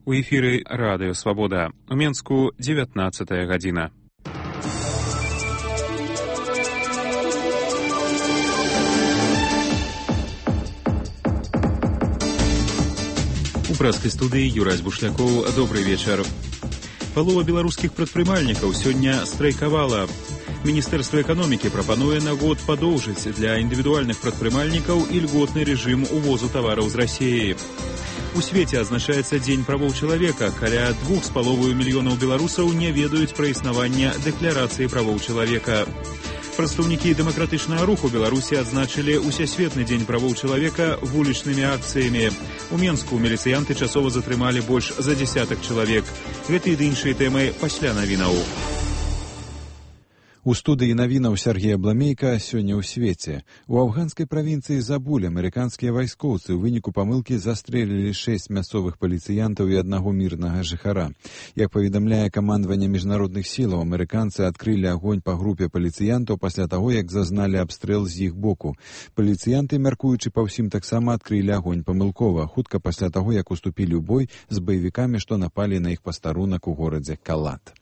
У эфіры Радыё Свабода. У Менску 19 гадзіна. У прэскай студыі Юрась Бушлякоў. Добрый вечар. Палова беларускіх прадпрымальнікаў сёння страйкавала. Міністэрства эканомікі прапануе на год падоўжыць для індывідуальных прадпрымальнікаў ільготны рэжым увозу тавараў з Расіі. У свеце адзначаецца Дзень правоў чалавека. Каля 2,5 мільёнаў беларусаў не ведаюць пра існаванне дэкларацыі правоў чалавека. Прадстаўнікі дэмакратычнага руху Беларусі адзначылі Усесветны дзень правоў чалавека вулічнымі акцыямі. У Менску міліцыянты часова затрымалі больш за дзесятак чалавек. Гэты і іншыя тэмы пасля навінаў. У студыі навінаў Сергея Бламейка сёння ў свеце. У афганскай правінцыі Забуль амерыканскія вайскоўцы ў выніку памылкі застрэлілі 6 мясцовых паліцыянтаў і аднаго мірнага жыхара. Як паведамляе камандаванне міжнародных сілаў, амерыканцы адкрылі агонь па групе паліцыянтаў пасля таго, як зазналі абстрэл з іх боку. Паліцыянты, мяркуючы па ўсім, таксама адкрылі агонь памылкова, хутка пасля таго, як уступілі ў бой з баевікамі, што напалі на іх пастарунак у горадзе Калат.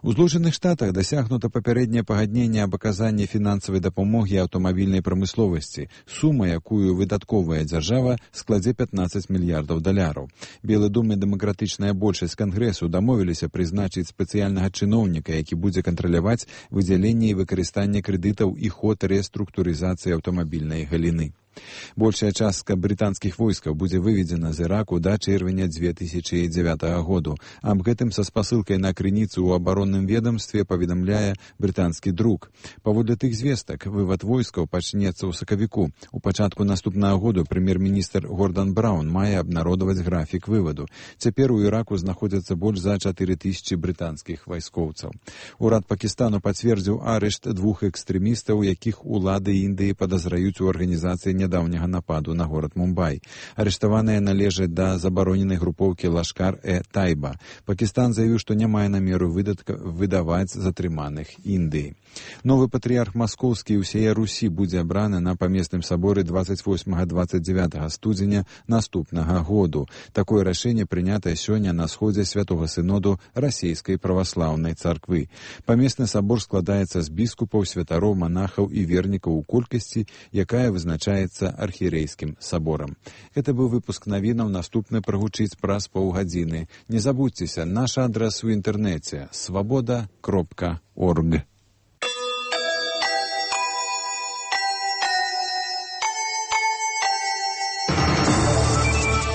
У Злучаных Штатах дасягнута папярэдняе пагадненне аб аказанні фінансавай дапамогі аўтамабільнай прамысловасці. Сума, якую выдатковая дзяржава, складзе $15 мільярдаў. Белы дом і дэмакратычная большасць Кангрэсу дамовіліся прызначыць спецыяльнага чыноўніка, які будзе кантраляваць выдзяленне і выкарыстанне крэдытаў і ход рэструктурызацыі аўтамабільнай галіны. Большая частка брытанскіх войскаў будзе выведзена з Іраку да чэрвеня 2009 году. Аб гэтым са спасылкай на крыніцу ў абаронным ведомстве паведамляе брытанскі друк. Паводле тых звестак, вывад войскаў пачнецца ў сакавіку. У пачатку наступнага году прэм'ер-міністр Гордан Браўн мае абнародаваць графік вываду. Цяпер у Іраку знаходзяцца больш за 4000 брытанскіх вайскоўцаў. Урад Пакістану пацвердзіў арышт 2 экстрэмістаў, якіх улады Індыі падазраюць у арганізацыі нядаўняга нападу на горад Мумбай. Арыштаваныя належаць да забароненай групоўкі Лашкар-э-Тайба. Пакістан заявіў, што не мае намеру выдаваць затрыманых Індыі. Новы патрыярх маскоўскі і ўсяе Русі будзе абраны на памесным саборы 28-29 студзеня наступнага году. Такое рашэнне прынятае сёння на сходзе святога сыноду расійскай праваслаўнай царквы. Памесны сабор складаецца з біскупаў, святароў, манахаў і вернікаў у колькасці, якая вызначаецца архірэйскім саборам. Гэта быў выпуск навінаў, наступны прагучыць праз паўгадзіны. Не забудзьцеся, наш адрас у інтэрнэце svoboda.org.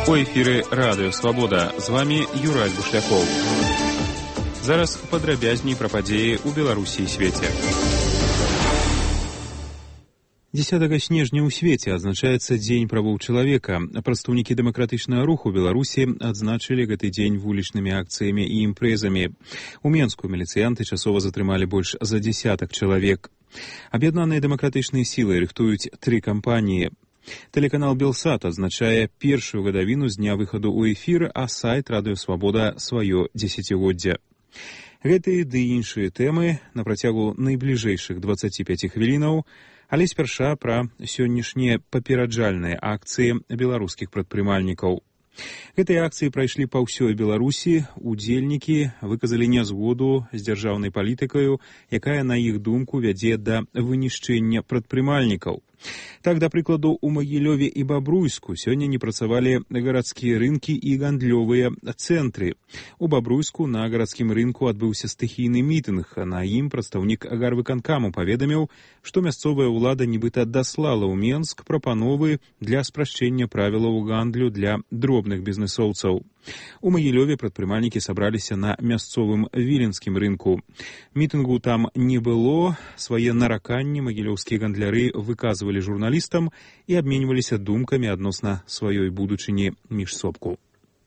У эфіры Радыё Свабода. З вамі Юрась Бушлякоў. Зараз падрабязней пра падзеі ў Беларусі і свеце. 10 снежня ў свеце адзначаецца Дзень правоў чалавека. Прадстаўнікі дэмакратычнага руху Беларусі адзначылі гэты дзень вулічнымі акцыямі і імпрэзамі. У Менску міліцыянты часова затрымалі больш за дзесятак чалавек. Аб'яднаныя дэмакратычныя сілы рыхтуюць 3 кампаніі. Тэлеканал Белсат адзначае першую гадавіну з дня выхаду ў эфір, а сайт Радыё Свабода сваё дзесяцігоддзе. Гэтыя ды іншыя тэмы на працягу найбліжэйшых 25 хвілінаў, але спярша пра сённяшнія папераджальныя акцыі беларускіх прадпрымальнікаў. Гэтыя акцыі прайшлі па ўсёй Беларусі. Удзельнікі выказалі нязгоду з дзяржаўнай палітыкаю, якая, на іх думку, вядзе да вынішчэння прадпрымальнікаў. Так, да прыкладу, у Магілёве і Бабруйску сёння не працавалі гарадскія рынкі і гандлёвыя цэнтры. У Бабруйску на гарадскім рынку адбыўся стыхійны мітынг, а на ім прадстаўнік гарвыканкаму паведаміў, што мясцовая ўлада нібыта даслала ў Менск прапановы для спрашчэння правілаў гандлю для дробных бізнэсоўцаў. У Магілёве прадпрымальнікі сабраліся на мясцовым віленскім рынку. Мітынгу там не было. Свае нараканні магілёўскія гандляры выказвалі журналістам і абменьваліся думкамі адносна сваёй будучыні міжсобку.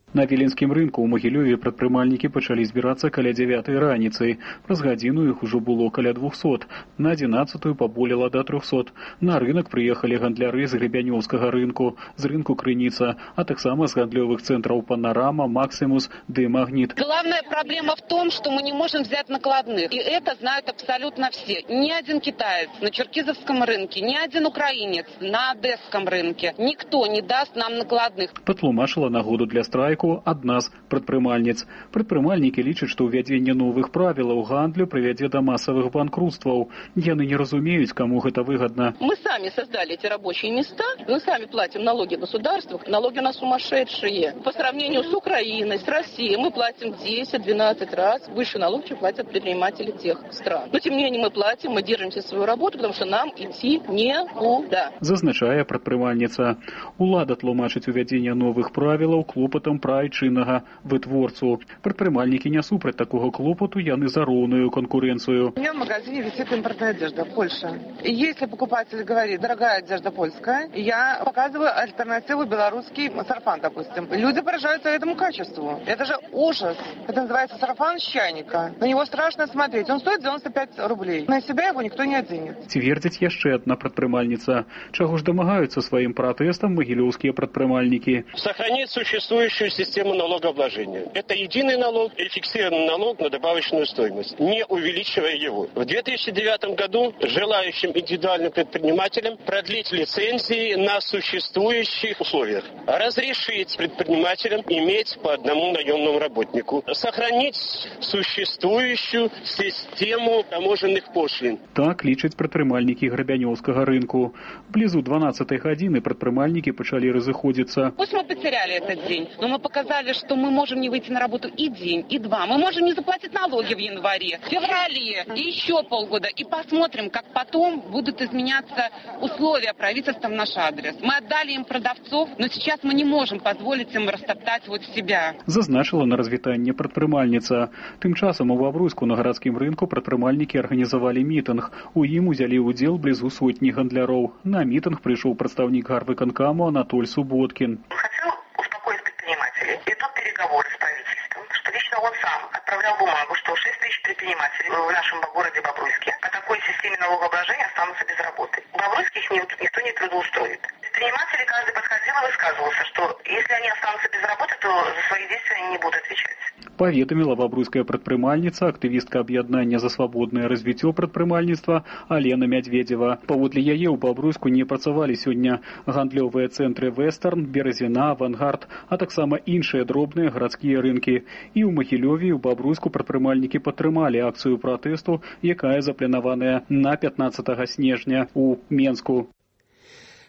На віленскім рынку ў Магілёве прадпрымальнікі пачалі збірацца каля 9 раніцы. Праз гадзіну іх ужо было каля 200. На 11 паболела да 300. На рынок прыехалі гандляры з Гребянёўскага рынку, з рынку Крыніца, а таксама з гандлёвых цэнтраў Панорама, Максимус ды Магнит. Главная проблема в том, что мы не можем взять накладных. И это знают абсолютно все. Ни один китаец на Черкизовском рынке, ни один украинец на Одесском рынке. Никто не даст нам накладных. Патлумачыла нагоду для страйку страйку адна з прадпрымальніц. Прадпрымальнікі лічаць, што ўвядзенне новых правілаў гандлю прывядзе да масавых банкрутстваў. Яны не разумеюць, каму гэта выгодно. Мы сами создали эти рабочие места, мы сами платим налоги государству, налоги у нас сумасшедшие. По сравнению с Украиной, с Россией, мы платим 10-12 раз выше налог, чем платят предприниматели тех стран. Но тем не менее мы платим, мы держимся свою работу, потому что нам идти некуда. Зазначае прадпрымальніца. Улада тлумачыць увядзенне новых правілаў клопатам пра айчыннага вытворцу. Прадпрымальнікі не супраць такого клопату, яны за роўную конкуренцию. У меня в магазине висит импортная одежда, Польша. И если покупатель говорит, дорогая одежда польская, я показываю альтернативу белорусский сарафан, допустим. Люди поражаются этому качеству. Это же ужас. Это называется сарафан с чайника. На него страшно смотреть. Он стоит 95 рублей. На себя его никто не оденет. Цвердзіць яшчэ адна прадпрымальніца. Чаго ж дамагаюцца сваім пратэстам магілёўскія прадпрымальнікі? Сохранить существующую систему налогообложения. Это единый налог и фиксированный налог на добавочную стоимость, не увеличивая его. В 2009 году желающим индивидуальным предпринимателям продлить лицензии на существующих условиях. Разрешить предпринимателям иметь по одному наемному работнику. Сохранить существующую систему таможенных пошлин. Так лічаць прадпрымальнікі грабянёўскага рынку. Блізу 12-й гадзіны прадпрымальнікі пачалі разыходзіцца. Пусть мы потеряли этот день, но мы показали, что мы можем не выйти на работу и день, и два. Мы можем не заплатить налоги в январе, в феврале и еще полгода. И посмотрим, как потом будут изменяться условия правительства в наш адрес. Мы отдали им продавцов, но сейчас мы не можем позволить им растоптать вот себя. Зазначила на развітанне прадпрымальніца. Тым часам у Бабруйску на гарадскім рынку прадпрымальнікі арганізавалі мітынг. У ім узялі ўдзел блізу сотні гандляроў. На мітынг прыйшоў прадстаўнік гарвыканкаму Анатоль Субботкин. Хотел успокоить предпринимателей. Идут переговоры с правительством, что лично он сам отправлял бумагу, что 6 тысяч предпринимателей в нашем городе Бобруйске по такой системе налогообложения останутся без работы. В Бобруйске их никто не трудоустроит. Предприниматели каждый подходил и высказывался, что если они останутся без работы, то за свои действия они не будут отвечать. Паведаміла бабруйская прадпрымальніца, актывістка аб'яднання за свабоднае развіццё прадпрымальніцтва Алена Мядведзева. Паводле яе ў Бабруйску не працавалі сёння гандлёвыя цэнтры Вестерн, Березіна, Авангард, а таксама іншыя дробныя гарадскія рынкі. І ў Магілёве, і ў Бабруйску прадпрымальнікі падтрымалі акцыю пратэсту, якая запланаваная на 15 снежня у Менску.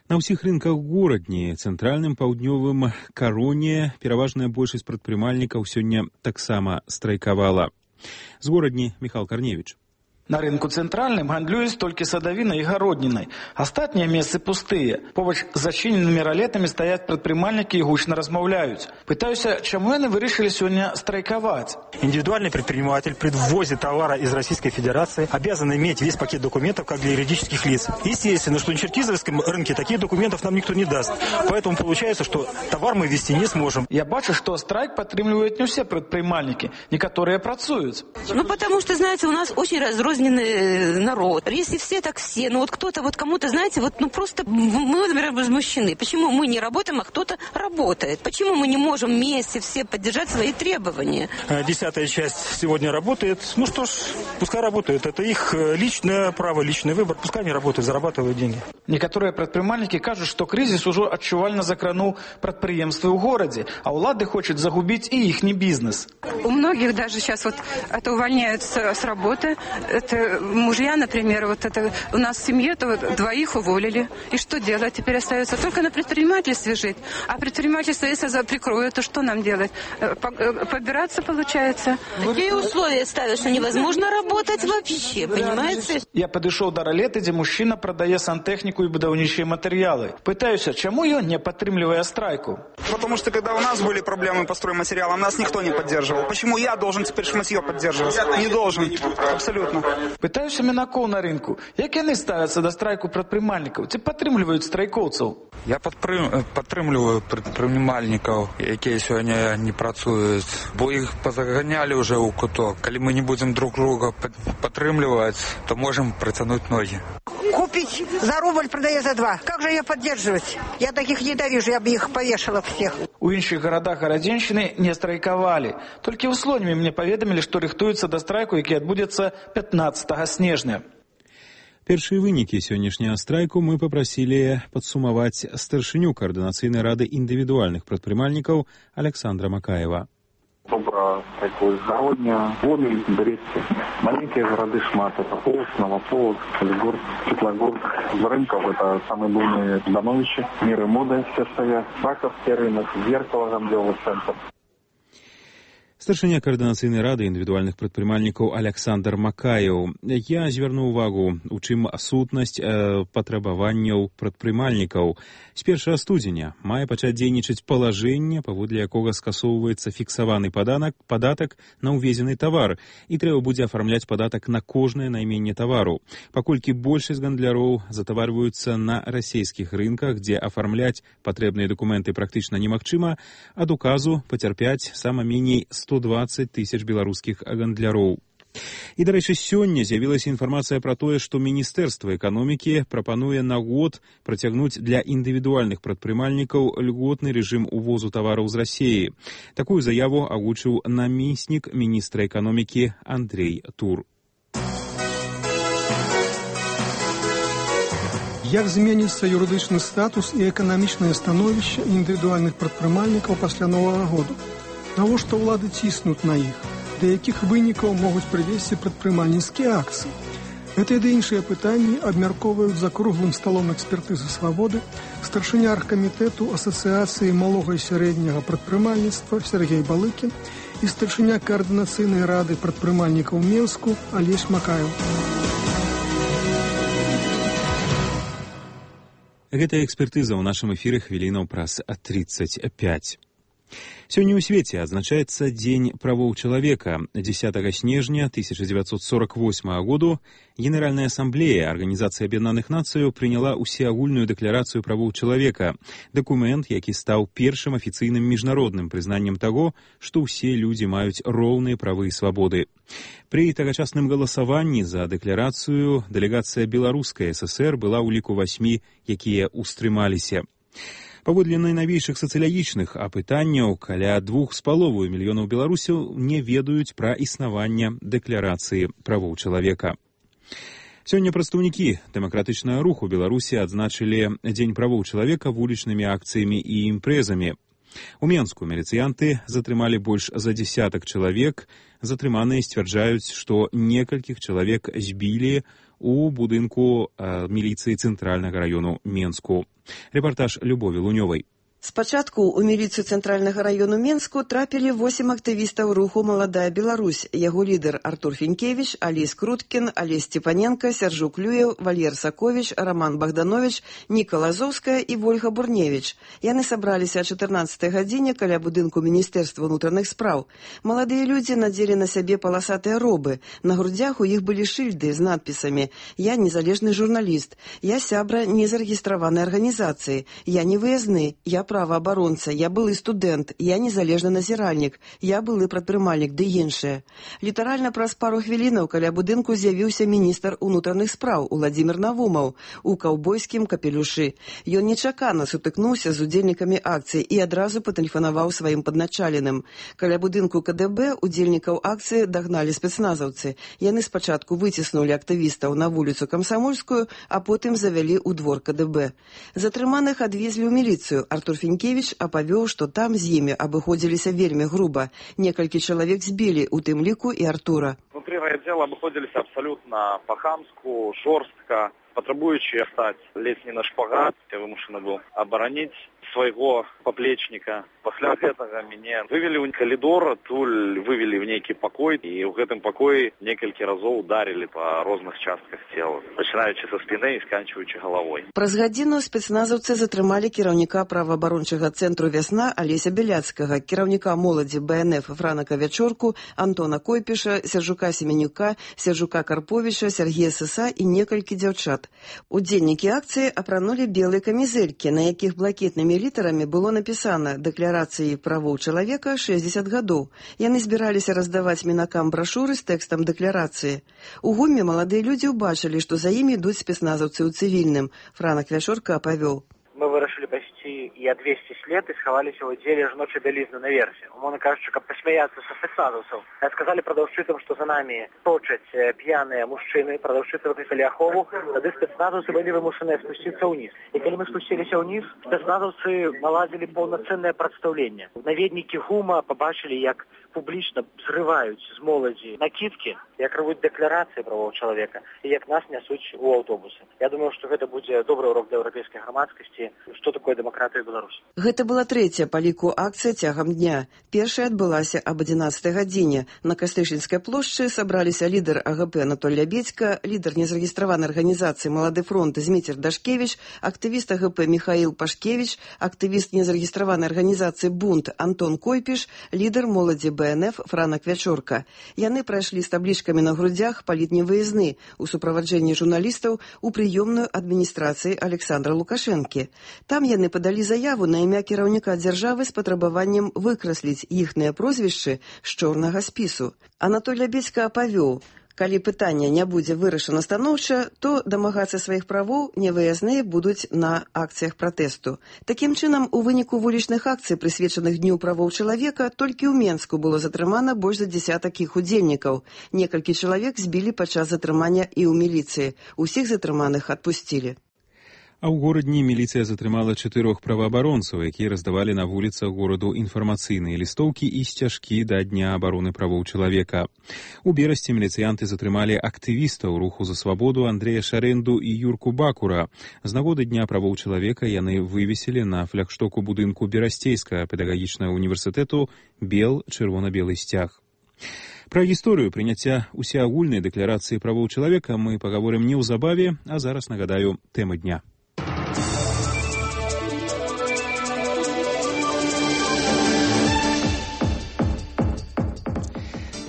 На ўсіх рынках горадні, цэнтральным, паўднёвым, кароне пераважная большасць прадпрымальнікаў сёння таксама страйкавала. З горадні Михаил Корневич. На рынку центральным гандлююць толькі садавінай і гароднінай. Астатнія месцы пустыя. Побач з зачыненымі ралетамі стаяць прадпрымальнікі і гучна размаўляюць. Пытаюся, чаму яны вырашылі сёння страйковать? Индивидуальный предприниматель при ввозе товара из Российской Федерации обязан иметь весь пакет документов, как для юридических лиц. Естественно, что на черкизовском рынке таких документов нам никто не даст. Поэтому получается, что товар мы ввести не сможем. Я бачу, что страйк подтримливают не все предприниматели. Некоторые працуют. Ну, потому что, знаете, у нас очень разрозненный народ. Если все, так все. Ну, вот кто-то, вот кому-то, знаете, вот, ну, просто мы, например, возмущены. Почему мы не работаем, а кто-то работает? Почему мы не можем вместе все поддержать свои требования? 10-я часть сегодня работает. Ну что ж, пускай работают. Это их личное право, личный выбор. Пускай они работают, зарабатывают деньги. Некоторые предприниматели кажут, что кризис уже отчувально закранул предприемства в городе, а улады хочет загубить и их бизнес. У многих даже сейчас вот это увольняются с работы. Это мужья, например, вот это у нас в семье то вот двоих уволили. И что делать? Теперь остается только на предпринимательстве жить. А предпринимательство, если прикроют, то что нам делать? Побираться получается. Такие условия ставят, что невозможно работать вообще, понимаете? Я подошел до ролеты, где мужчина продает сантехнику и будовничие материалы. Пытаюсь, чему ее не подтримливая страйку? Потому что когда у нас были проблемы по стройматериалам, нас никто не поддерживал. Почему я должен теперь шматье поддерживать? Не должен. Абсолютно. Пытаюся мінакоў на рынку. Як яны ставяцца да страйку прадпрымальнікаў? Ці падтрымліваюць страйкоўцаў? Я падтрымліваю прадпрымальнікаў, якія сёння не працуюць, бо іх пазаганялі ўжо ў куток. Калі мы не будзем друг друга падтрымліваць, то можем протянуть ноги. Купить за рубль, продаю за 2. Как же ее поддерживать? Я таких ненавижу, я бы их повешала всех. У іншых гарадах гарадзеншчыны не страйкавалі. Толькі ў Слонімі мне паведамілі, што рыхтуюцца да страйку, які адбудзецца 15 снежня. Першыя вынікі сённяшняга страйку мы папрасілі падсумаваць старшыню Координацыйнай рады індывідуальных прадпрымальнікаў Александра Макаева. Добра такое загодня, Гомель, Брестце. Маленькие города шмат. Это Полоцк, Новополоцк, Солигорск, Светлогорск. Из рынков это самые буйные становища. Мир и мода все стоят. Раковский рынок, Зеркало, Гамлёвый центр. Старшыня Координацыйнай рады індывідуальных прадпрымальнікаў Александр Макаеў. Я звярну ўвагу, у чым сутнасць патрабаванняў прадпрымальнікаў. З 1 студзеня мае пачаць дзейнічаць палажэнне, паводле якога скасоўваецца фіксаваны падатак на ўвезены тавар, і трэба будзе афармляць падатак на кожнае найменне тавару. Паколькі большасць гандляроў затаварваюцца на расійскіх рынках, дзе афармляць патрэбныя дакументы практычна немагчыма, ад указу пацярпяць сама меней 120 тысяч беларускіх гандляроў. І, дарэчы, сёння з'явілася інфармацыя пра тое, што Міністэрства эканомікі прапануе на год працягнуць для індывідуальных прадпрымальнікаў льготны рэжым увозу тавараў з Расіі. Такую заяву агучыў намеснік міністра эканомікі Андрей Тур. Як зменіцца юрыдычны статус і эканамічнае становішча індывідуальных прадпрымальнікаў пасля Новага году? Навошта ўлады ціснуць на іх? Да якіх вынікаў могуць прывесці прадпрымальніцкія акцыі? Гэтыя ды іншыя пытанні абмяркоўваюць за круглым сталом экспертызы свабоды старшыня аргкамітэту Асацыяцыі малога і сярэдняга прадпрымальніцтва Сергей Балыкін і старшыня Координацыйнай рады прадпрымальнікаў Менску Алесь Макаеў. Гэтая экспертыза ў нашым эфіры хвілінаў праз 35. Сёння ў свеце адзначаецца Дзень правоў чалавека. 10 снежня 1948 году Генеральная асамблея Арганізацыі Аб'яднаных Нацыяў прыняла ўсеагульную дэкларацыю правоў чалавека, дакумент, які стаў першым афіцыйным міжнародным прызнаннем таго, што ўсе людзі маюць роўныя правы і свабоды. Пры тагачасным галасаванні за дэкларацыю дэлегацыя Беларускай ССР была ў ліку 8, якія ўстрымаліся. Паводле найнавейшых сацыялагічных апытанняў, каля 2,5 мільёнаў беларусаў не ведаюць пра існаванне дэкларацыі правоў чалавека. Сёння прадстаўнікі дэмакратычнага руху Беларусі адзначылі Дзень правоў чалавека вулічнымі акцыямі і імпрэзамі. У Менску міліцыянты затрымалі больш за 10 чалавек. Затрыманыя сцвярджаюць, што некалькіх чалавек збілі у будынку міліцыі цэнтральнага раёну Менску. Рэпартаж Любові Лунёвай. Спачатку ў міліцыю цэнтральнага раёну Менску трапілі 8 актывістаў руху «Маладая Беларусь». Яго лідар Артур Фінкевіч, Алесь Круткін, Алесь Степаненко, Сяржук Люеў, Вальер Саковіч, Роман Богданович, Ніка Лазовская і Вольга Бурневіч. Яны сабраліся о 14 гадзіне каля будынку Міністэрства ўнутраных спраў. Маладыя людзі надзелі на сябе паласатыя робы. На грудзях у іх былі шыльды з надпісамі «Я незалежны журналіст», «Я сябра незарэгістраванай арганізацыі», «Я не выязны», «Я праваабаронца», «Я былы студэнт», «Я незалежны назіральнік», «Я былы прадпрымальнік» ды іншыя. Літаральна праз пару хвілінаў каля будынку з'явіўся міністр унутраных спраў Уладзімір Навумаў у каўбойскім капелюшы. Ён нечакана сутыкнуўся з удзельнікамі акцыі і адразу патэлефанаваў сваім падначаленым. Каля будынку КДБ удзельнікаў акцыі дагналі спецназаўцы. Яны спачатку выціснулі актывістаў на вуліцу Камсамольскую, а потым завялі ў двор КДБ. Затрыманых адвезлі ў міліцыю. Артур Фінкевіч апавёў, што там з імі абыходзіліся вельмі груба. Некалькі чалавек збілі, у тым ліку і Артура. Внутри райотдела обходились абсолютно по-хамску, жорстко, потребуючи стать ледь не на шпагат. Я вымушаны был оборонить свайго поплечника. Пасля гэтага мяне вывели ў калідор, туль вывели в нейкі пакой, і ў гэтым пакоі некалькі разоў ударили па розных частках цела, пачынаючы са спіны і сканчваючы галавой. Праз гадзіну спецназаўцы затрымалі кіраўніка праваабарончага цэнтру «Вясна» Алеся Беляцкага, кіраўніка моладзі БНФ Франака Вячорку, Антона Койпіша, Сяржука Семенюка, Сяржука Карповіча, Сергея Сыса і некалькі дзяўчат. Удзельнікі акцыі апранулі белыя камізэлькі, на якіх блакітнымі літарамі было напісана «Дэкларацыі правоў чалавека 60 гадоў». Яны збіраліся раздаваць мінакам брашуры з тэкстам дэкларацыі. У гуме маладыя людзі ўбачылі, што за імі ідуць спецназаўцы ў цывільным. Франак Вячорка апавёў. Мы вырашылі пайсці ці і ад весці след і схаваліся ў аддзеле жаночай бялізны наверсе. Умоўна кажучы, каб пасмяяцца са спецназаўцаў. Сказалі прадаўшчыцам, што за намі точаць п'яныя мужчыны, прадаўшчыцы выклікалі ахову, тады спецназаўцы былі вымушаныя спусціцца ўніз. І калі мы спусціліся ўніз, спецназаўцы наладзілі паўнацэннае прадстаўленне. Наведнікі ГУМа пабачылі, як публічна зрываюць з моладзі накідкі, як рвуць дэкларацыі правоў чалавека і як нас нясуць у аўтобусы. Я думаю, што гэта будзе добры урок для еўрапейскай грамадскасці, што такое дэмакратыя ў Беларусі. Гэта была трэцяя па ліку акцыя цягам дня. Першая адбылася аб 11 гадзіне. На Кастрычніцкай плошчы сабраліся лідар АГП Анатоль Лябедзька, лідар незарэгістраванай арганізацыі «Малады фронт» Зміцер Дашкевіч, актывіст АГП Михаил Пашкевіч, актывіст незарэгістраванай арганізацыі «Бунт» Антон Койпіш, лідар моладзі БНФ Франак Вячорка. Яны прайшлі з таблічкамі на грудзях палітневыязны у суправаджэнні журналістаў у прыёмную адміністрацыі Александра Лукашэнкі. Там яны падалі заяву на імя кіраўніка дзяржавы з патрабаваннем выкрасліць іхныя прозвішчы з чорнага спісу. Анатоль Лябедзька апавёў, калі пытанне не будзе вырашана станоўча, то дамагацца сваіх правоў невыязныя будуць на акцыях пратэсту. Такім чынам, у выніку вулічных акцый, прысвечаных Дню правоў чалавека, толькі ў Менску было затрымана больш за дзясятак іх удзельнікаў. Некалькі чалавек збілі падчас затрымання і ў міліцыі. Усіх затрыманых адпусцілі. А ў горадні міліцыя затрымала 4 праваабаронцаў, якія раздавалі на вуліцах гораду інфармацыйныя лістоўкі і сцяжкі да Дня абароны правоў чалавека. У Берасці міліцыянты затрымалі актывістаў руху за свабоду Андрэя Шарэнду і Юрку Бакура. З нагоды Дня правоў чалавека яны вывесілі на флагштоку будынку Берасцейскага педагагічнага універсітэту бел чырвона-белы сцяг. Пра гісторыю прыняцця усеагульнай дэкларацыі правоў чалавека мы пагаворым неўзабаве, а зараз нагадаю тэмы дня.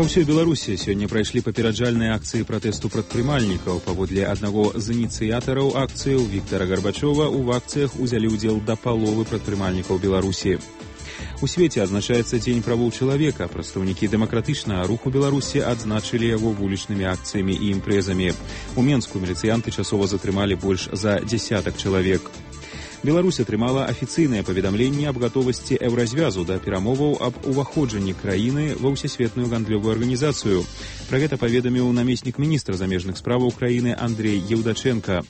Па ўсёй Беларусі сёння прайшлі папераджальныя акцыі пратэсту прадпрымальнікаў. Паводле аднаго з ініцыятараў акцыяў Віктара Гарбачова, у акцыях узялі ўдзел да паловы прадпрымальнікаў Беларусі. У свеце адзначаецца Дзень правоў чалавека. Прадстаўнікі дэмакратычнага руху Беларусі адзначылі яго вулічнымі акцыямі і імпрэзамі. У Менску міліцыянты часова затрымалі больш за дзясятак чалавек. Беларусь атрымала афіцыйнае паведамленне аб гатовасці еўразвязу да перамоваў аб уваходжанні краіны ва ўсесветную гандлёвую арганізацыю. Пра гэта паведаміў намеснік міністра замежных справаў краіны Андрей Еўдаченка.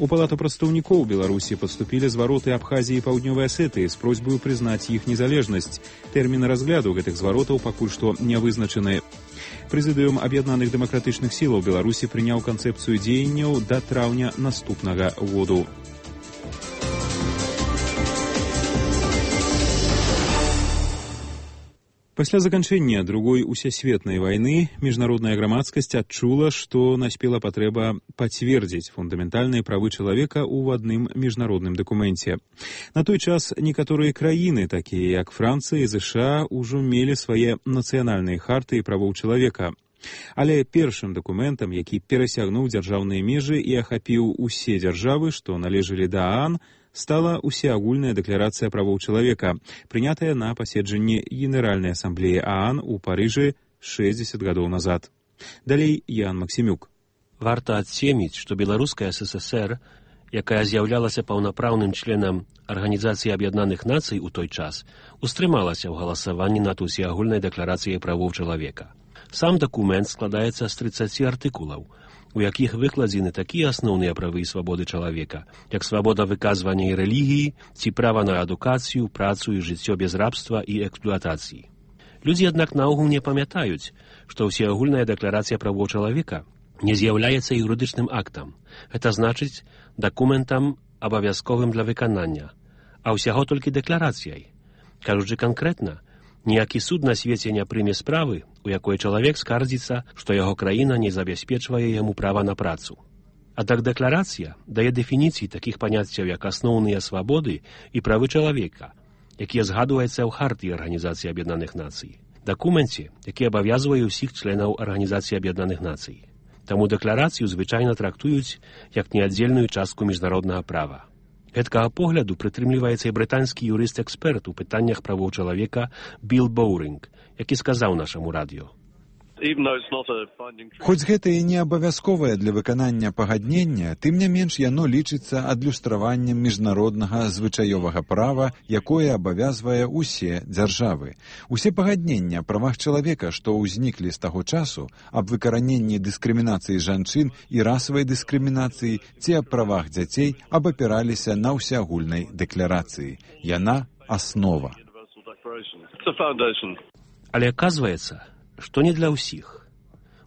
У Палату прадстаўнікоў Беларусі паступілі звароты Абхазіі і Паўднёвай Асетыі з просьбаю прызнаць іх незалежнасць. Тэрмін разгляду гэтых зваротаў пакуль што не вызначаны. Прэзідыум Аб'яднаных дэмакратычных сілаў Беларусі прыняў канцэпцыю дзеянняў да траўня наступнага году. Пасля заканчэння другой усесветнай вайны міжнародная грамадскасць адчула, што наспела патрэба пацвердзіць фундаментальныя правы чалавека ў адным міжнародным дакуменце. На той час некаторыя краіны, такія як Францыя і ЗША, ужо мелі свае нацыянальныя харты і правоў чалавека. Але першым дакументам, які перасягнуў дзяржаўныя межы і ахапіў усе дзяржавы, што належалі да ААН, стала усеагульная дэкларацыя правоў чалавека, прынятая на паседжанні Генеральнай асамблеі ААН у Парыжы 60 гадоў назад. Далей Ян Максімюк. Варта адсеміць, што Беларуская ССР, якая з'яўлялася паўнапраўным членам Арганізацыі Аб'яднаных Нацый у той час, устрымалася ў галасаванні над усеагульнай дэкларацыяй правоў чалавека. Сам дакумент складаецца з 30 артыкулаў, у якіх выкладзены такія асноўныя правы і свабоды чалавека, як свабода выказвання і рэлігіі, ці права на адукацыю, працу і жыццё без рабства і эксплуатацыі. Людзі, аднак, наогул не памятаюць, што ўсеагульная дэкларацыя правоў чалавека не з'яўляецца юрыдычным актам. Гэта значыць дакументам абавязковым для выканання, а ўсяго толькі дэкларацыяй. Кажучы канкрэтна, ніякі суд на свеце не прыме справы, у якой чалавек скардзіцца, што яго краіна не забяспечвае яму права на працу. Аднак дэкларацыя дае дэфініцыі такіх паняццяў, як асноўныя свабоды і правы чалавека, якія згадваюцца ў хартыі Арганізацыі Аб'яднаных Нацый, дакуменце, які абавязвае ўсіх членаў Арганізацыі Аб'яднаных Нацый. Таму дэкларацыю звычайна трактуюць як неаддзельную частку міжнароднага права. Гэткага погляду прытрымліваецца і брытанскі юрыст-эксперт у пытаннях правоў чалавека Білл Боўринг, які сказаў нашаму радыё: Хоць гэта і не абавязковае для выканання пагаднення, тым не менш яно лічыцца адлюстраваннем міжнароднага звычаёвага права, якое абавязвае усе дзяржавы. Усе пагаднення аб правах чалавека, што ўзніклі з таго часу, аб выкараненні дыскрымінацыі жанчын і расавай дыскрымінацыі ці аб правах дзяцей абапіраліся на ўсеагульнай дэкларацыі. Яна аснова. Але аказваецца, што не для ўсіх.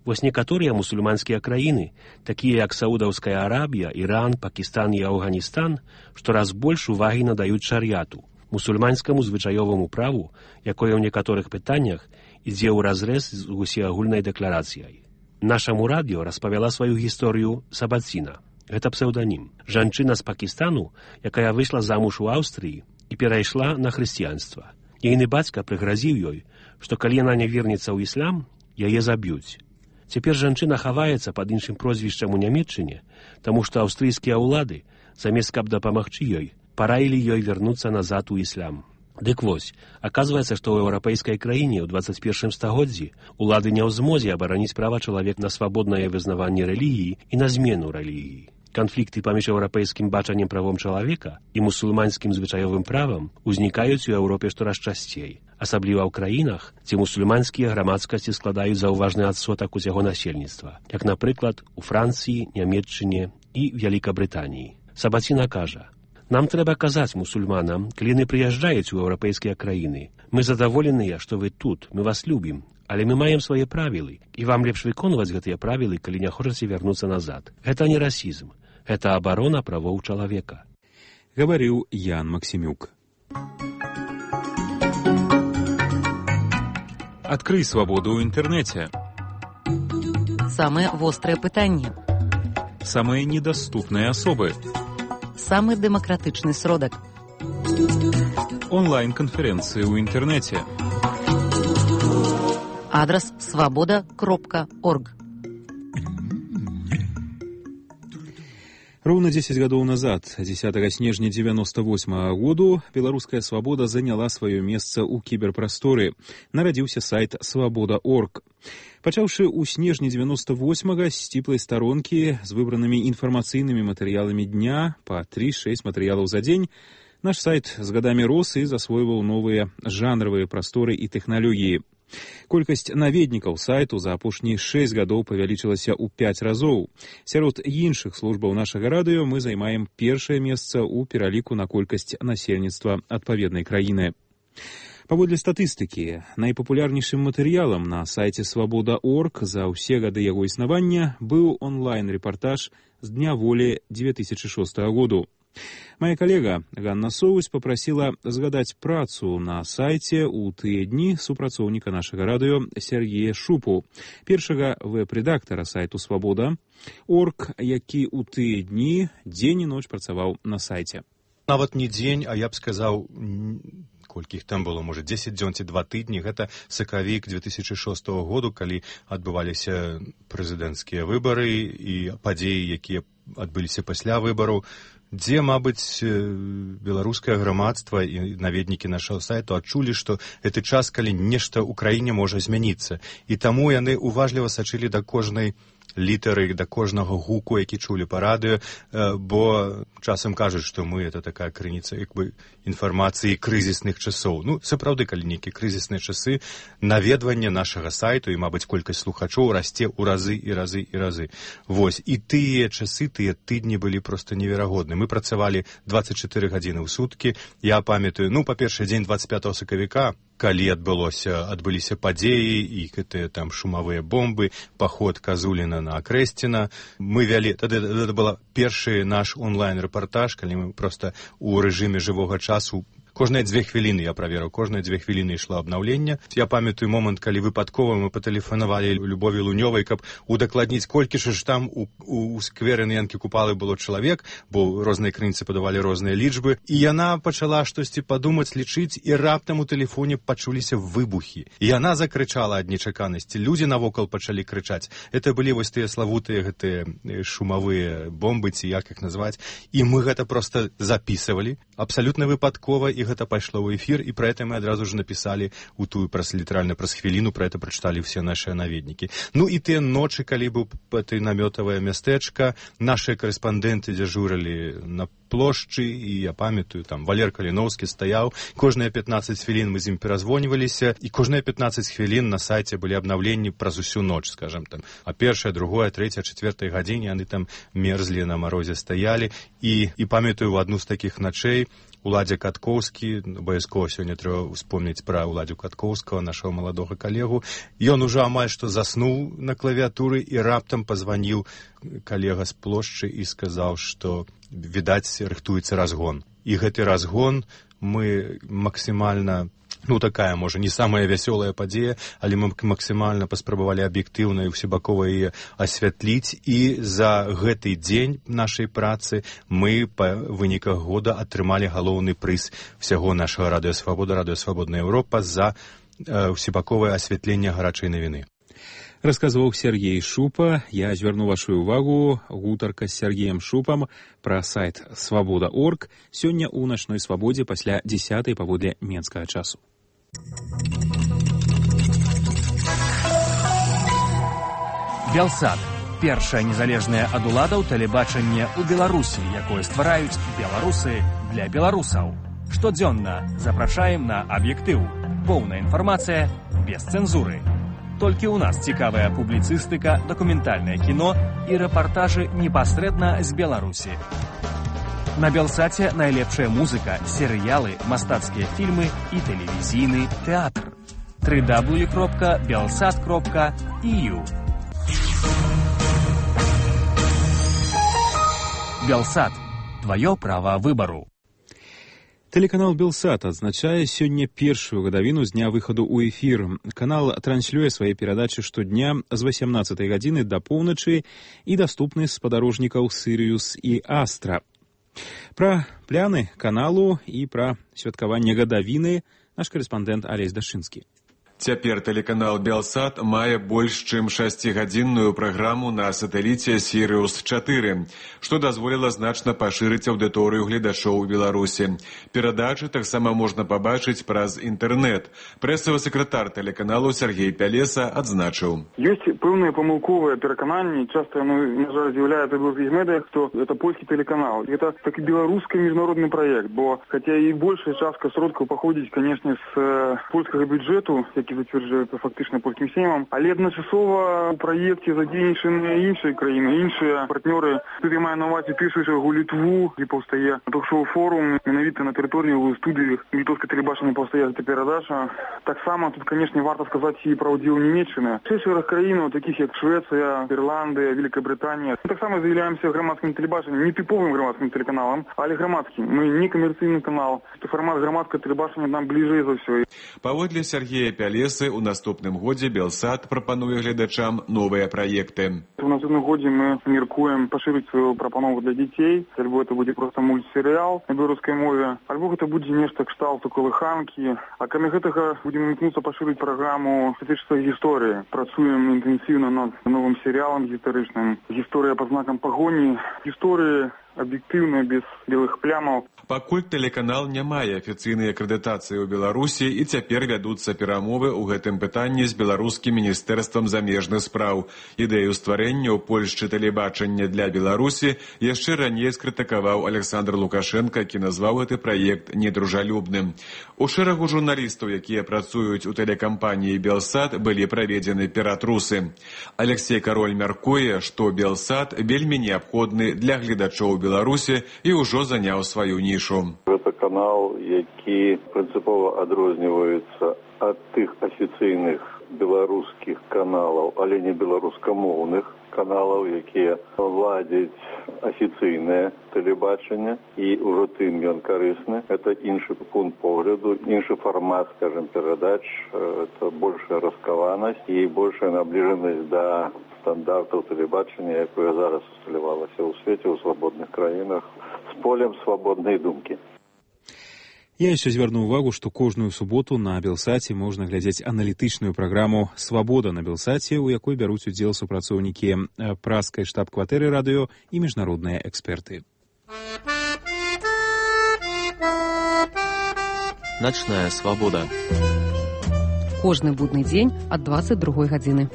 Вось некаторыя мусульманскія краіны, такія як Саудаўская Арабія, Іран, Пакістан і Афганістан, штораз больш увагі надаюць шар'яту, мусульманскаму звычаёваму праву, якое ў некаторых пытаннях ідзе ўразрэз з усеагульнай дэкларацыяй. Нашаму радыё распавяла сваю гісторыю Сабаціна. Гэта псеўданім. Жанчына з Пакістану, якая выйшла замуж у Аўстрыі і перайшла на хрысціянства. Ейны бацька прыгразіў ёй, што калі яна не вернецца ў іслам, яе заб'юць. Цяпер жанчына хаваецца пад іншым прозвішчам у Нямецчыне, таму што аўстрыйскія ўлады, замест каб дапамагчы ёй, параілі ёй вярнуцца назад у іслам. Дык вось, аказваецца, што ў еўрапейскай краіне ў 21 стагоддзі улады не ў змозе абараніць права чалавек на свабоднае вызнаванне рэлігіі і на змену рэлігіі. Канфлікты паміж еўрапейскім бачаннем правом чалавека і мусульманскім звычаёвым правам узнікаюць у Еўропе штораз часцей, асабліва ў краінах, дзе мусульманскія грамадскасці складаюць заўважны адсотак усяго насельніцтва, як, напрыклад, у Францыі, Нямецчыне і Вялікабрытаніі. Сабаціна кажа: «Нам трэба казаць мусульманам, калі яны прыязджаюць у еўрапейскія краіны. Мы задаволеныя, што вы тут, мы вас любім, але мы маем свае правілы, і вам лепш выконваць гэтыя правілы, калі не хочаце вярнуцца назад. Гэта не расізм, гэта абарона правоў чалавека». Гаварыў Ян Максімюк. Адкрый свабоду ў інтэрнэце. Самыя вострыя пытанні. Самыя недаступныя асобы. Самы дэмакратычны сродак. Онлайн-канферэнцыі ў інтэрнэце. Адрес свобода.орг. Роўна 10 гадоў назад, 10 снежня 98 году, беларуская свабода заняла сваё месца ў кіберпрасторы. Нарадзіўся сайт свобода.орг. Пачаўшы ў снежні 98-га з сціплай старонкі з выбранымі інфармацыйнымі матэрыяламі дня па 3-6 матэрыялаў за дзень, наш сайт з гадамі рос і засвойваў новыя жанравыя прасторы і тэхналогіі. Колькасць наведнікаў сайту за апошнія 6 гадоў павялічылася ў 5 разоў. Сярод іншых службаў нашага радыё мы займаем першае месца ў пераліку на колькасць насельніцтва адпаведнай краіны. Паводле статыстыкі, найпапулярнейшым матэрыялам на сайце свобода.орг за ўсе гады яго існавання быў онлайн-рэпартаж з Дня волі 2006 году. Моя калега Ганна Соўваць попрасіла згадаць працу на сайце ў тыя дні супрацоўніка нашага радыё Сергея Шупу, першага вэб-рэдактара сайту «Свабода.орг», які ў тыя дні дзень і ноч працаваў на сайце. Нават не дзень, а я б сказаў, колькі іх там было, можа, 10 дзён ці 2 тыдні. Гэта сакавік 2006 году, калі адбываліся прэзідэнцкія выбары і падзеі, якія адбыліся пасля выбараў, дзе, мабыць, беларускае грамадства і наведнікі нашага сайту адчулі, што гэты час, калі нешта ў краіне можа змяніцца. І таму яны уважліва сачылі да кожнай літары, да кожнага гуку, які чулі па радыё, бо часам кажуць, што мы это такая крыніца інфармацыі крызісных часоў. Ну, сапраўды, калі нейкія крызісныя часы, наведванне нашага сайту і, мабыць, колькасць слухачоў расце ў разы і разы і разы. Вось, і тыя часы, тыя тыдні былі проста неверагодны. Мы працавалі 24 гадзіны ў суткі. Я памятаю, па-першае, дзень 25 сакавіка, калі адбыліся падзеі і гэтыя там шумавыя бомбы, паход Казуліна на Акрэсціна. Мы вялі, тады это был першы наш онлайн-рэпартаж, калі мы проста ў рэжыме жывога часу. Кожныя 2 хвіліны я праверыў, кожныя 2 хвіліны ішло абнаўленне. Я памятаю момант, калі выпадкова мы патэлефанавалі Любові Лунёвай, каб удакладніць, колькі ж там у скверы на Янкі Купалы было чалавек, бо розныя крыніцы падавалі розныя лічбы. І яна пачала штосьці падумаць, лічыць, і раптам у тэлефоне пачуліся выбухі. І яна закрычала ад нечаканасці. Людзі навокал пачалі крычаць. Это былі вось тыя славутыя гэтыя шумавыя бомбы, ці як іх назваць. І мы гэта проста запісывалі, абсалютна выпадкова, і гэта пайшло ў эфір, і пра гэта мы адразу ж напісалі у тую літаральна праз хвіліну, пра гэта прачыталі ўсе нашыя наведнікі. Ну і тыя ночы, калі быў ты намётавае мястэчка, нашыя карэспандэнты дзяжурылі на плошчы, і я памятаю, там Валер Каліноўскі стаяў, кожныя 15 хвілін мы з ім перазвоньваліся, і кожныя 15 хвілін на сайце былі абнаўленні праз усю ноч, скажем там, а першая, другая, трэцяя, чацвёртая гадзіне яны там мерзлі на марозе стаялі, і памятаю, в адну з такіх начэй Уладзя Каткоўскі, абавязкова сёння трэба успомніць пра Уладзю Каткоўскага, нашага маладога калегу, ён ужо амаль што заснуў на клавіатуры, і раптам пазваніў калега з плошчы і сказаў, што, відаць, рыхтуецца разгон. І гэты разгон мы максімальна, такая, можа, не самая вясёлая падзея, але мы максімальна паспрабавалі аб'ектыўна і ўсебакова яе асвятліць, і за гэты дзень нашай працы мы па выніках года атрымалі галоўны прыз усяго нашага Радыё Свабода, Радыё Свабодная Еўропа за ўсебаковае асвятленне гарачай навіны. Расказваў Сергей Шупа. Я звярну вашу увагу. Гутарка з Сергеем Шупам пра сайт «Свабода.орг» сёння ў начной свабодзе пасля 10:00 паводле менскага часу. Белсат. Першае незалежнае ад уладаў тэлебачанне ў Беларусі, якое ствараюць беларусы для беларусаў. Штодзённа запрашаем на аб'ектыў. Поўная інфармацыя без цэнзуры. Толькі ў нас цікавая публіцыстыка, дакументальнае кіно і рэпартажы непасрэдна з Беларусі. На Белсаце найлепшая музыка, серыялы, мастацкія фільмы і тэлевізійны тэатр. www.belsat.eu Белсат. Твоё права выбару. Телеканал «Белсат» адзначае сёння першую гадавіну з дня выхаду ў эфір. Канал транслюе свае перадачы штодня з 18 гадзіны да поўначы і даступны з спадарожнікаў «Сірыус» і «Астра». Пра пляны каналу і пра святкаванне гадавіны наш карэспандэнт Алесь Дашынскі. Цяпер тэлеканал «Белсат» мае больш чым 6-гадзінную праграму на сатэліце «Сірыус-4», што дазволіла значна пашырыць аўдыторыю гледачоў у Беларусі. Перадачы таксама можна пабачыць праз інтэрнэт. Прэсавы сакратар тэлеканалу Сергей Пялеса адзначыў. Ёсць пэўныя памылковыя перакананні, часта яно, на жаль, з'яўляецца ў беларускіх медыях, што гэта польскі тэлеканал. Гэта такі беларускі міжнародны праект, бо хаця і большая частка сродкаў паходзіць, канешне, з польскага бюджэту, які зацвярджаецца фактычна польскім сеймам, але адначасова ў праекце задзейнічаныя іншыя краіны, іншыя партнёры. Тут я маю на ўвазе першую чаргу Літву, дзе паўстае ток-шоу форум, менавіта на тэрыторыі ў студыі літоўскай тэлебачання паўстае гэта перадача. Таксама тут, канешне, варта сказаць і пра ўдзел Нямецчыны. Шэраг краін, такіх як Швецыя, Ірландыя, Великая Брытанія. Мы таксама з'яўляемся грамадскім тэлебачаннем, не тыповым грамадскім тэлеканалам, але грамадскім. Мы не камерцыйны канал. Фармат грамадскага тэлебачання нам бліжэй за ўсё. Паводле Сергея Пялесы, у наступным годзе «Белсат» прапануе гледачам новыя праекты. У наступным годзе мы мяркуем пашырыць сваю прапанову для дзяцей. Альбо это будзе проста мультсерыял на беларускай мове, альбо гэта будзе нешта кшталту калыханкі. А кроме гэтага будзем імкнуцца пашырыць праграму «Статычнай гісторыі». Працуем інтэнсіўна над новым серыялам гістарычным. Гісторыя па знакам пагоні. Гісторыі аб'ектыўна, без белых плямаў. Пакуль тэлеканал не мае афіцыйнай акрэдытацыі ў Беларусі, і цяпер вядуцца перамовы ў гэтым пытанні з беларускім міністэрствам замежных спраў. Ідэю стварэння ў Польшчы тэлебачання для Беларусі яшчэ раней скрытыкаваў Александр Лукашенко, які назваў гэты праект недружалюбным. У шэрагу журналістаў, якія працуюць у тэлекампаніі «Белсат», былі праведзены ператрусы. Алексей Кароль мяркуе, што «Белсат» вельмі неабходны для гледачоў Беларусі і ўжо заняў сваю нішу. Гэта канал, які прынцыпова адрозніваецца ад тых афіцыйных беларускіх каналаў, але не беларускамоўных каналаў, якія ладзяць афіцыйнае тэлебачанне, і ўжо тым ён карысны. Это іншы пункт погляду, іншы фармат, скажем, перадач, это большая раскаванасць і большая набліжанасць да стандартаў тэлебачання, якое зараз усталявалася ў свеце, ў свабодных краінах, з полем свабоднай думкі. Я яшчэ звярну ўвагу, што кожную суботу на Белсаце можна глядзець аналітычную праграму «Свабода» на Белсаце, у якой бяруць удзел супрацоўнікі праскай штаб-кватэры радыё і міжнародныя эксперты. «Ночная свобода». Кожны будны дзень ад 22 гадзіны.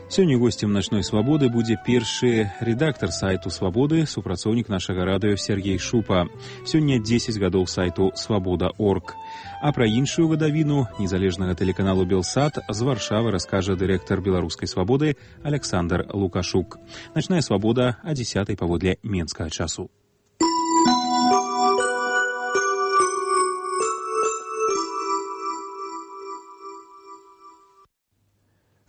Сёння гостем «Ночной свободы» будзе першы рэдактар сайту «Свабоды», супрацоўнік нашага радыё Сергей Шупа. Сёння 10 гадоў сайту «Свабода.орг». А пра іншую гадавіну незалежнага тэлеканалу «Белсат» з Варшавы раскажа дырэктар «Беларускай свабоды» Александр Лукашук. «Ночная свобода» о 10 паводле менскага часу.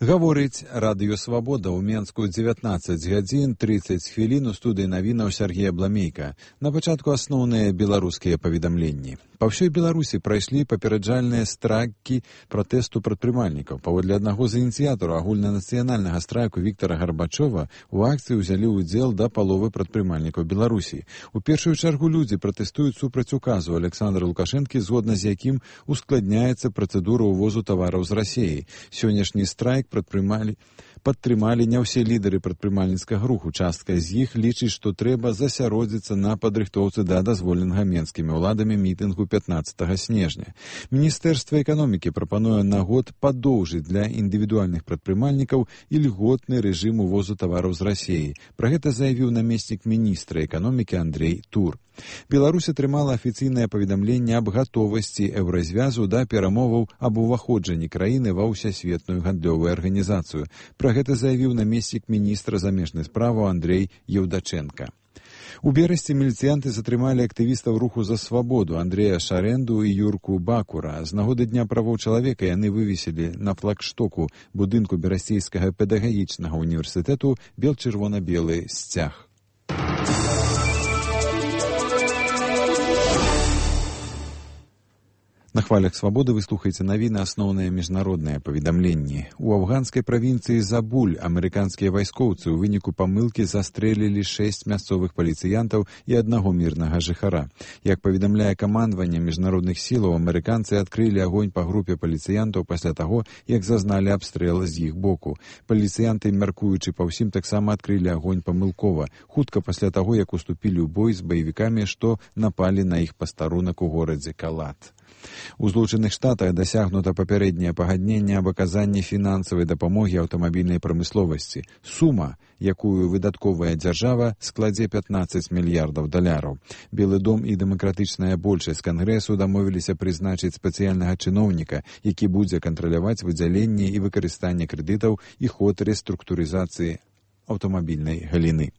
Гаворыць радыё «Свабода» ў Менску 19 гадзін 30 хвілін у студыі навінаў Сергея Бламейка. На пачатку асноўныя беларускія паведамленні. Па ўсёй Беларусі прайшлі папераджальныя страйкі пратэсту прадпрымальнікаў. Паводле аднаго з ініцыятараў агульнанацыянальнага страйку Віктара Гарбачова у акцыі ўзялі ўдзел да паловы прадпрымальнікаў Беларусі. У першую чаргу людзі пратэстуюць супраць указу Александра Лукашэнкі, згодна з якім ускладняецца працэдура ўвозу тавараў з Расіі. Сённяшні страйк падтрымалі не ўсе лідары прадпрымальніцкага руху. Частка з іх лічыць, што трэба засяродзіцца на падрыхтоўцы да дазволенага менскімі ўладамі мітынгу 15 снежня. Міністэрства эканомікі прапануе на год падоўжыць для індывідуальных прадпрымальнікаў ільготны рэжым увозу тавараў з Расіі. Пра гэта заявіў намеснік міністра эканомікі Андрей Тур. Беларусь атрымала афіцыйнае паведамленне аб гатовасці еўразвязу да перамоваў аб уваходжанні краіны ва ўсесветную гандлёвую арганізацыю. Пра гэта заявіў намеснік міністра замежных справаў Андрей Еўдаченка. У берасці міліцыянты затрымалі актывістаў руху за свабоду Андрея Шарэнду і Юрку Бакура. З нагоды Дня правоў чалавека яны вывесілі на флагштоку будынку Берасцейскага педагагічнага універсітэту бел-чырвона-белы сцяг. На хвалях «Свабоды» вы слухаеце навіны асноўныя міжнародныя паведамленні. У афганскай правінцыі Забуль амерыканскія вайскоўцы ў выніку памылкі застрэлілі 6 мясцовых паліцыянтаў і аднаго мірнага жыхара. Як паведамляе камандаванне міжнародных сілаў, амерыканцы адкрылі агонь па групе паліцыянтаў пасля таго, як зазналі абстрэл з іх боку. Паліцыянты, мяркуючы па ўсім, таксама адкрылі агонь памылкова, хутка пасля таго, як уступілі ў бой з баевікамі, што напалі на іх пастарунак у горадзе Калат. У Злучаных Штатах дасягнута папярэдняе пагадненне аб аказанні фінансавай дапамогі аўтамабільнай прамысловасці. Сума, якую выдатковая дзяржава, складзе $15 мільярдаў. Белы дом і дэмакратычная большасць Кангрэсу дамовіліся прызначыць спецыяльнага чыноўніка, які будзе кантраляваць выдзяленне і выкарыстанне крэдытаў і ход рэструктурызацыі аўтамабільнай галіны.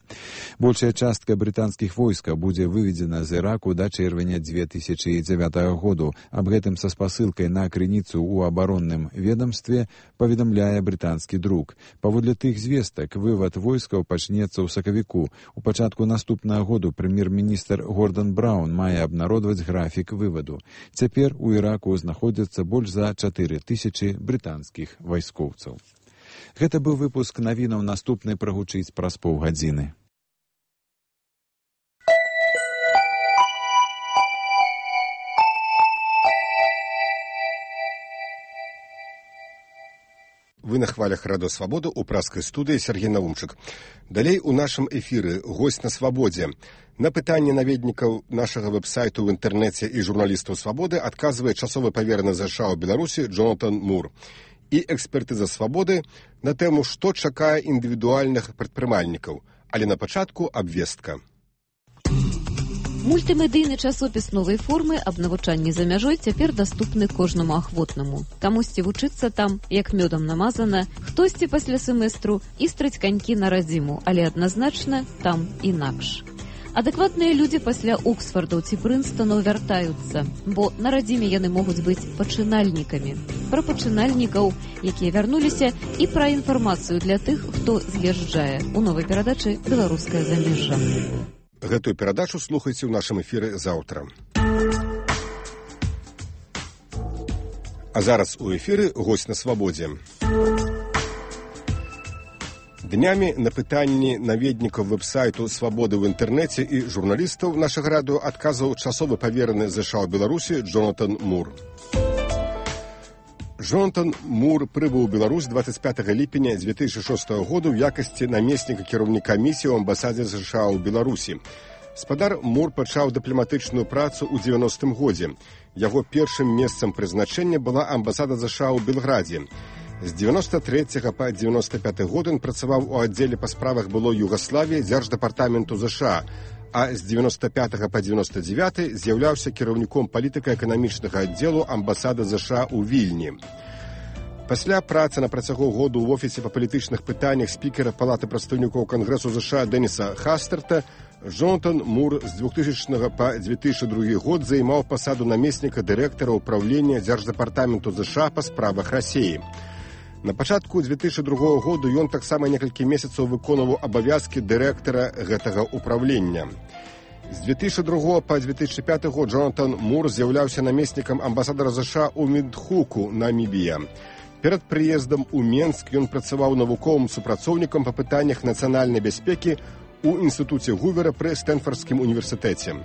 Большая частка брытанскіх войскаў будзе выведзена з Іраку да чэрвеня 2009 году. Аб гэтым са спасылкай на крыніцу ў абаронным ведамстве паведамляе брытанскі друк. Паводле тых звестак, вывад войскаў пачнецца ў сакавіку. У пачатку наступнага году прэм'ер-міністр Гордан Браўн мае абнародваць графік вываду. Цяпер у Іраку знаходзяцца больш за 4000 брытанскіх вайскоўцаў. Гэта быў выпуск навінаў, наступны прагучыць праз паўгадзіны. Вы на хвалях радыё «Свабода» у праскай студыі Сергей Наумчык. Далей у нашым эфіры госць на свабодзе. На пытанне наведнікаў нашага вэб-сайту ў інтэрнэце і журналістаў «Свабоды» адказвае часовы павераны ЗША ў Беларусі Джонатан Мур. І экспертыза «Свабоды» на тэму, што чакае індывідуальных прадпрымальнікаў. Але на пачатку абвестка. Мультымедыйны часопіс новай формы аб навучанні за мяжой цяпер даступны кожнаму ахвотнаму. Камусьці вучыцца там, як мёдам намазана, хтосьці пасля семестру істрыць канькі на радзіму, але адназначна там інакш. Адэкватныя людзі пасля Оксфордаў ці Прынстонаў вяртаюцца, бо на радзіме яны могуць быць пачынальнікамі. Пра пачынальнікаў, якія вярнуліся, і пра інфармацыю для тых, хто з'язджае. У новай перадачы «Беларускае замежжа». Гэтую перадачу слухайце ў нашым эфіры заўтра. А зараз у эфіры госць на свабодзе. Днямі на пытанні наведнікаў вэб-сайту «Свабоды» ў інтэрнэце і журналістаў нашага радыё адказваў часовы павераны ЗША ў Беларусі Джонатан Мур. Джонатан Мур прыбыў у Беларусь 25 ліпеня 2006 году ў якасці намесніка кіраўніка місіі ў амбасадзе США ў Беларусі. Спадар Мур пачаў дыпламатычную працу ў 90-м годзе. Яго першым месцам прызначэння была амбасада ЗША ў Белградзе. З 93 па 95 год ён працаваў у аддзеле па справах былой Югаславіі Дзярждэпартаменту ЗША, а з 95 па 99 з'яўляўся кіраўніком палітыка-эканамічнага аддзелу амбасады ЗША ў Вільні. Пасля працы на працягу году ў офісе па палітычных пытаннях спікера Палаты прадстаўнікоў Кангрэсу ЗША Дэніса Хастерта Джонатан Мур з 2000 па 2002 год займаў пасаду намесніка дырэктара ўпраўлення Дзярждэпартаменту ЗША па справах Расіі. На пачатку 2002 году ён таксама некалькі месяцаў выконваў абавязкі дырэктара гэтага ўпраўлення. З 2002 па 2005 год Джонатан Мур з'яўляўся намеснікам амбасадара ЗША ў Виндхуку, Намібія. Перад прыездам у Менск ён працаваў навуковым супрацоўнікам па пытаннях нацыянальнай бяспекі у інстытуце Гувера пры Стэнфардскім універсітэце.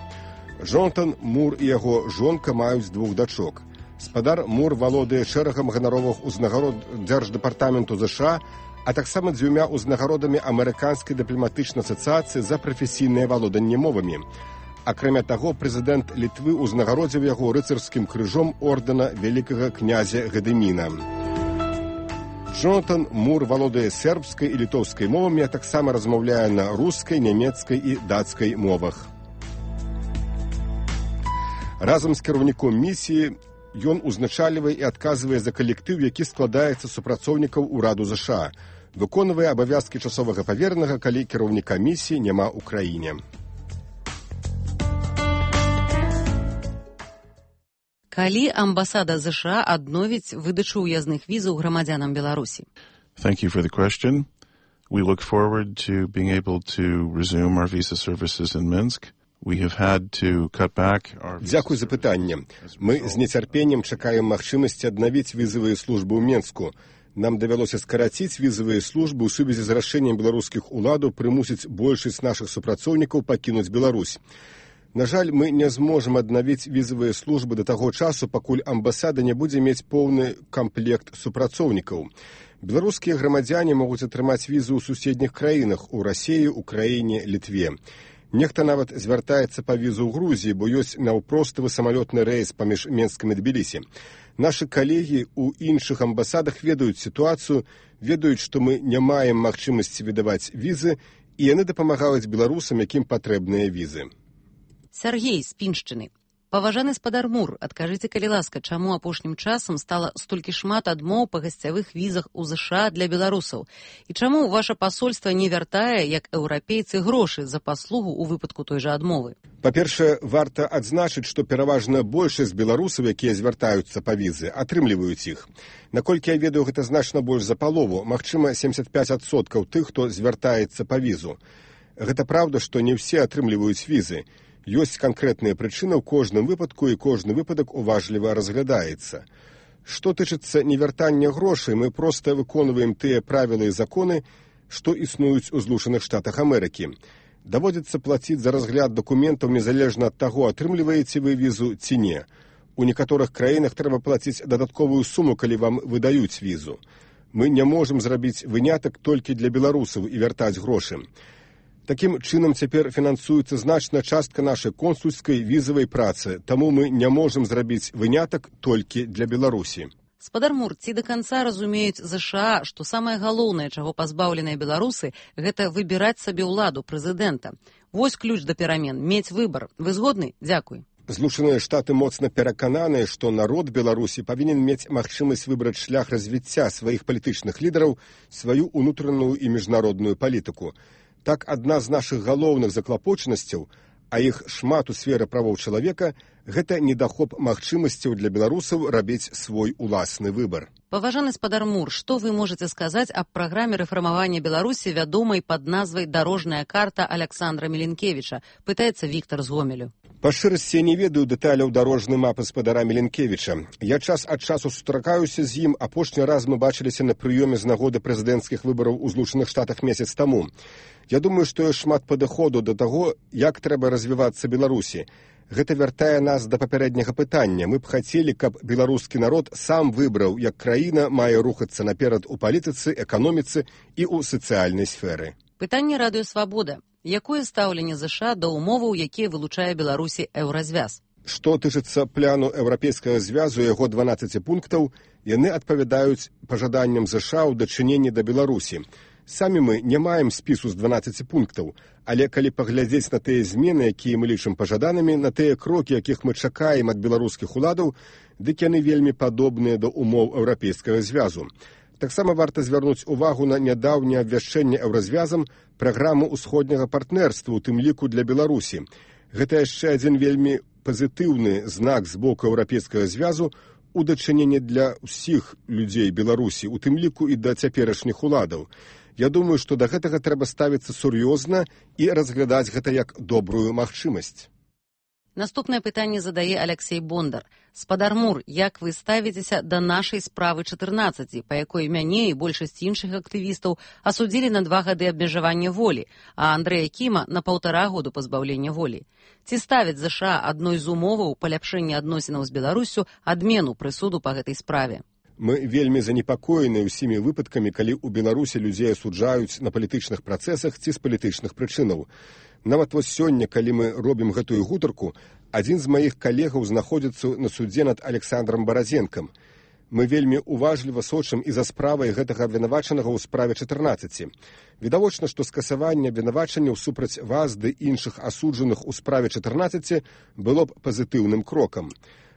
Джонатан Мур і яго жонка маюць 2 дачок. Спадар Мур валодае шэрагам ганаровых узнагарод Дзярждэпартаменту ЗША, а таксама 2 узнагародамі Амерыканскай дыпламатычнай асацыяцыі за прафесійнае валоданне мовамі. Акрамя таго, прэзідэнт Літвы ўзнагародзіў яго рыцарскім крыжом ордэна вялікага князя Гадыміна. Джонатан Мур валодае сербскай і літоўскай мовамі, а таксама размаўляе на рускай, нямецкай і дацкай мовах. Разам з кіраўніком місіі ён узначальвае і адказвае за калектыў, які складаецца з супрацоўнікаў ураду ЗША, выконвае абавязкі часовага паверанага, калі кіраўніка місіі няма ў краіне. Калі амбасада ЗША адновіць выдачу ўязных візаў грамадзянам Беларусі? Thank you for the question. We look forward to being able to resume our visa services in Minsk. Дзякуй за пытанне. Мы з нецярпеннем чакаем магчымасці аднавіць візавыя службы ў Менску. Нам давялося скараціць візавыя службы ў сувязі з рашэннем беларускіх уладаў прымусіць большасць нашых супрацоўнікаў пакінуць Беларусь. На жаль, мы не зможам аднавіць візавыя службы да таго часу, пакуль амбасада не будзе мець поўны камплект супрацоўнікаў. Беларускія грамадзяне могуць атрымаць візу ў суседніх краінах, у Расіі, Украіне, Літве. Нехта нават звяртаецца па візу ў Грузіі, бо ёсць наўпростывы самалётны рэйс паміж Менскам і Тбілісі. Нашы калегі ў іншых амбасадах ведаюць сітуацыю, ведаюць, што мы не маем магчымасці выдаваць візы, і яны дапамагаюць беларусам, якім патрэбныя візы. Сергей з Піншчыны. Паважаны спадар Мур, адкажыце, калі ласка, чаму апошнім часам стала столькі шмат адмоў па гасцявых візах у ЗША для беларусаў? І чаму ваша пасольства не вяртае, як еўрапейцы, грошы за паслугу ў выпадку той жа адмовы? Па-першае, варта адзначыць, што пераважна большасць беларусаў, якія звяртаюцца па візы, атрымліваюць іх. Наколькі я ведаю, гэта значна больш за палову, магчыма, 75% тых, хто звяртаецца па візу. Гэта праўда, што не ўсе атрымліваюць візы. Ёсць канкрэтныя прычыны ў кожным выпадку, і кожны выпадак уважліва разглядаецца. Што тычыцца невяртання грошай, мы проста выконваем тыя правілы і законы, што існуюць у Злучаных Штатах Амерыкі. Даводзіцца плаціць за разгляд дакументаў незалежна ад таго, атрымліваеце вы візу ці не. У некаторых краінах трэба плаціць дадатковую суму, калі вам выдаюць візу. Мы не можам зрабіць вынятак толькі для беларусаў і вяртаць грошы. Такім чынам цяпер фінансуецца значная частка нашай консульскай візавай працы, таму мы не можам зрабіць вынятак толькі для Беларусі. Спадар Мур, ці да канца разумеюць ЗША, што самае галоўнае, чаго пазбаўленыя беларусы, гэта выбіраць сабе ўладу прэзідэнта. Вось ключ да перамен, мець выбар. Вы згодны? Дзякуй. Злучаныя Штаты моцна перакананыя, што народ Беларусі павінен мець магчымасць выбраць шлях развіцця сваіх палітычных лідараў, сваю ўнутраную і міжнародную палітыку. Так, адна з нашых галоўных заклапочанасцяў, а іх шмат у сферы правоў чалавека, гэта недахоп магчымасцяў для беларусаў рабіць свой уласны выбар. Паважаны спадар Мур, што вы можаце сказаць аб праграме рэфармавання Беларусі, вядомай пад назвай «Дарожная карта» Аляксандра Міленкевіча, пытаецца Віктар з Гомелю. Па шчырасці я не ведаю дэталяў дарожнай мапы спадара Міленкевіча. Я час ад часу сустракаюся з ім, апошні раз мы бачыліся на прыёме з нагоды прэзідэнцкіх выбараў у Злучаных Штатах месяц таму. Я думаю, што ёсць шмат падыходу да таго, як трэба развівацца Беларусі. Гэта вяртае нас да папярэдняга пытання. Мы б хацелі, каб беларускі народ сам выбраў, як краіна мае рухацца наперад у палітыцы, эканоміцы і ў сацыяльнай сферы. Пытанне радыё «Свабода». Якое стаўленне ЗША да ўмоваў, якія вылучае Беларусі еўразвяз? Што тычыцца пляну Еўрапейскага звязу, яго 12 пунктаў, яны адпавядаюць пажаданням ЗША ў дачыненні да Беларусі. Самі мы не маем спісу з 12 пунктаў, але калі паглядзець на тыя змены, якія мы лічым пажаданымі, на тыя крокі, якіх мы чакаем ад беларускіх уладаў, дык яны вельмі падобныя да умоў Еўрапейскага звязу. Таксама варта звярнуць увагу на нядаўняе абвяшчэнне еўразвязам праграмы ўсходняга партнерства, у тым ліку для Беларусі. Гэта яшчэ адзін вельмі пазітыўны знак з боку Еўрапейскага звязу у дачыненні для ўсіх людзей Беларусі, у тым ліку і да цяперашніх уладаў. Я думаю, што да гэтага трэба ставіцца сур'ёзна і разглядаць гэта як добрую магчымасць. Наступнае пытанне задае Алексей Бондар. Спадар Мур, як вы ставіцеся да нашай справы 14, па якой мяне і большасць іншых актывістаў асудзілі на 2 гады абмежавання волі, а Андрэя Кіма на 1,5 году пазбаўлення волі? Ці ставяць ЗША адной з умоваў паляпшэння адносінаў з Беларусю адмену прысуду па гэтай справе? Мы вельмі занепакоены ўсімі выпадкамі, калі ў Беларусі людзей асуджаюць на палітычных працэсах ці з палітычных прычынаў. Нават вось сёння, калі мы робім гэтую гутарку, адзін з маіх калегаў знаходзіцца на судзе над Александром Баразенкам. Мы вельмі уважліва сочым і за справай гэтага абвінавачанага ў справе 14. Відавочна, што скасаванне абвінавачанняў супраць вас ды іншых асуджаных у справе 14 было б пазітыўным крокам.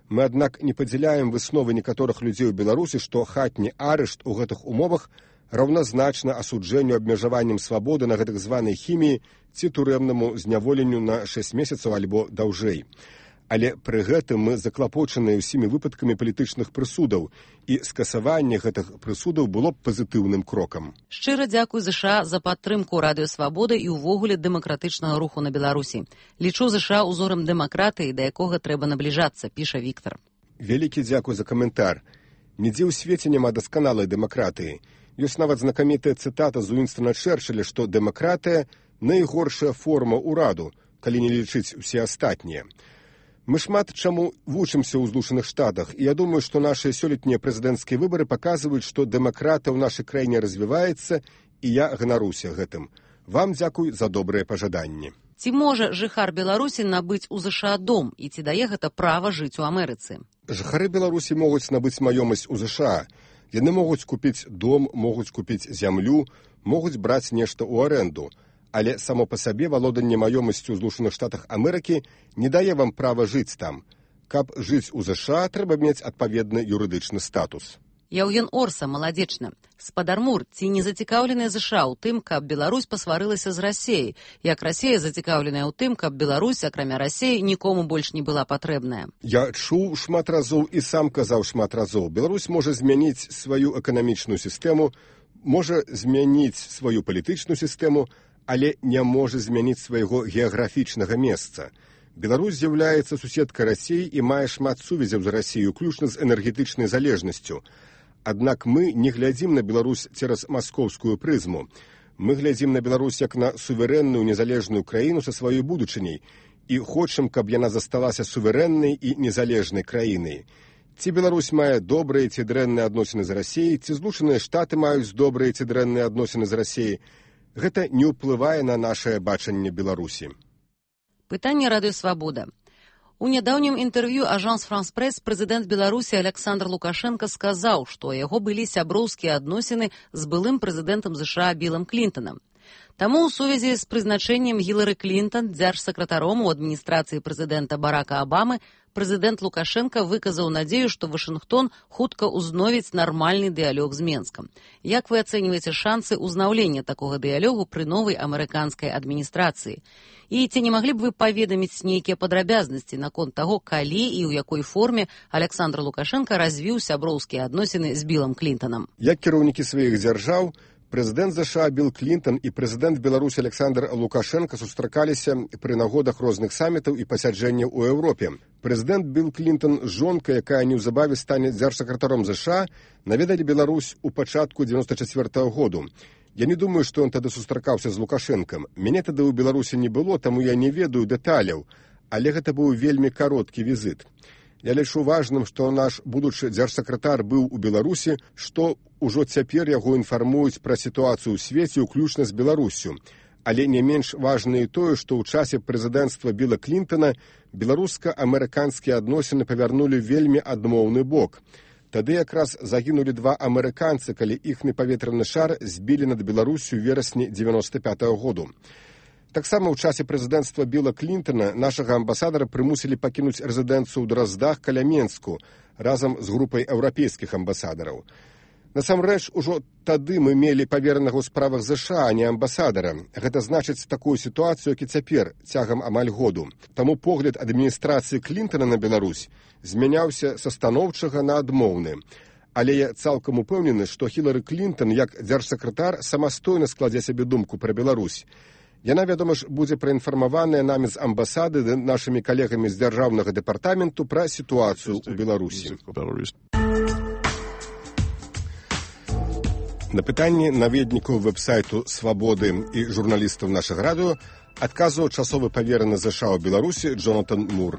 Мы, аднак, не падзяляем высновы некаторых людзей у Беларусі, што хатні арышт у гэтых умовах раўназначна асуджэнню абмежаваннем свабоды на гэтак званай хіміі ці турэмнаму зняволенню на 6 месяцаў альбо даўжэй. Але пры гэтым мы заклапочаныя ўсімі выпадкамі палітычных прысудаў, і скасаванне гэтых прысудаў было б пазітыўным крокам. Шчыра дзякуй ЗША за падтрымку Радыё Свабода і ўвогуле дэмакратычнага руху на Беларусі. Лічу ЗША ўзорам дэмакратыі, да якога трэба набліжацца, піша Віктор. Вялікі дзякуй за каментар. Нідзе ў свеце няма дасканалай дэмакратыі. Ёсць нават знакамітая цытата з Уінстона Чэрчылля, што дэмакратыя – найгоршая форма ўраду, калі не лічыць усе астатнія. Мы шмат чаму вучымся ў Злучаных Штатах, і я думаю, што нашыя сёлетнія прэзідэнцкія выбары паказваюць, што дэмакратыя ў нашай краіне развіваецца, і я ганаруся гэтым. Вам дзякуй за добрыя пажаданні. Ці можа жыхар Беларусі набыць у ЗША дом, і ці дае гэта права жыць у Амерыцы? Жыхары Беларусі могуць набыць маёмасць у ЗША. Яны могуць купіць дом, могуць купіць зямлю, могуць браць нешта ў арэнду. Але само па сабе валоданне маёмасцю ў Злучаных Штатах Амерыкі не дае вам права жыць там. Каб жыць у ЗША, трэба мець адпаведны юрыдычны статус. Яўген Орса, маладзечна. Спадар Мур, ці не зацікаўленыя ЗША ў тым, каб Беларусь пасварылася з Расеяй, як Расея зацікаўленая ў тым, каб Беларусь, акрамя Расеі, нікому больш не была патрэбная? Я чуў шмат разоў і сам казаў шмат разоў. Беларусь можа змяніць сваю эканамічную сістэму, можа змяніць сваю палітычную сістэму, але не можа змяніць свайго геаграфічнага месца. Беларусь з'яўляецца суседкай Расіі і мае шмат сувязяў з Расіяй, уключна з энергетычнай залежнасцю. Аднак мы не глядзім на Беларусь цераз маскоўскую прызму. Мы глядзім на Беларусь як на суверэнную незалежную краіну са сваёй будучыняй і хочам, каб яна засталася суверэннай і незалежнай краінай. Ці Беларусь мае добрыя ці дрэнныя адносіны з Расіяй, ці Злучаныя Штаты маюць добрыя ці дрэнныя адносіны з Расіяй, гэта не ўплывае на нашае бачанне Беларусі. Пытанне Радыё Свабода. У нядаўнім інтэрв'ю Ажанс Франс Прэс прэзідэнт Беларусі Александр Лукашенко сказаў, што ў яго былі сяброўскія адносіны з былым прэзідэнтам ЗША Білам Клінтанам. Таму ў сувязі з прызначэннем Гілары Клінтан дзяржсакратаром у адміністрацыі прэзідэнта Барака Абамы прэзідэнт Лукашенко выказаў надзею, што Вашынгтон хутка ўзновіць нармальны дыялог з Менскам. Як вы ацэньваеце шансы ўзнаўлення такога дыялогу пры новай амерыканскай адміністрацыі? І ці не маглі б вы паведаміць нейкія падрабязнасці наконт таго, калі і ў якой форме Александр Лукашенко развіў сяброўскія адносіны з Білам Клінтанам? Як кіраўнікі сваіх дзяржаў, прэзідэнт ЗША Біл Клінтан і прэзідэнт Беларусі Александр Лукашенко сустракаліся пры нагодах розных самітаў і пасяджэнняў у Еўропе. Прэзідэнт Біл Клінтан з жонкай, якая неўзабаве стане дзяржсакратаром ЗША, наведалі Беларусь у пачатку 94-го году. Я не думаю, што ён тады сустракаўся з Лукашэнкам. Мяне тады ў Беларусі не было, таму я не ведаю дэталяў, але гэта быў вельмі кароткі візіт. Я лічу важным, што наш будучы дзяржсакратар быў у Беларусі, што ўжо цяпер яго інфармуюць пра сітуацыю ў свеце, уключна з Беларуссю. Але не менш важна і тое, што ў часе прэзідэнцтва Біла Клінтана беларуска-амерыканскія адносіны павярнулі вельмі адмоўны бок. Тады якраз загінулі 2 амерыканцы, калі іхны паветраны шар збілі над Беларусю ў верасні 95-го году. Таксама ў часе прэзідэнцтва Біла Клінтана нашага амбасадара прымусілі пакінуць рэзідэнцыю ў Драздах каля Менску разам з групай еўрапейскіх амбасадараў. Насамрэч, ужо тады мы мелі паверанага ў справах ЗША, а не амбасадара. Гэта значыць такую сітуацыю, як і цяпер, цягам амаль году. Таму погляд адміністрацыі Клінтана на Беларусь змяняўся са станоўчага на адмоўны. Але я цалкам упэўнены, што Хілары Клінтан, як дзяржсакратар, самастойна складзе сабе думку пра Беларусь. Яна, вядома ж, будзе праінфармаваная намі з амбасады ды нашымі калегамі з дзяржаўнага дэпартаменту пра сітуацыю ў Беларусі. На пытанні наведнікаў вэб-сайту «Свабоды» і журналістаў нашага радыё адказваў часовы павераны ЗША ў Беларусі Джонатан Мур.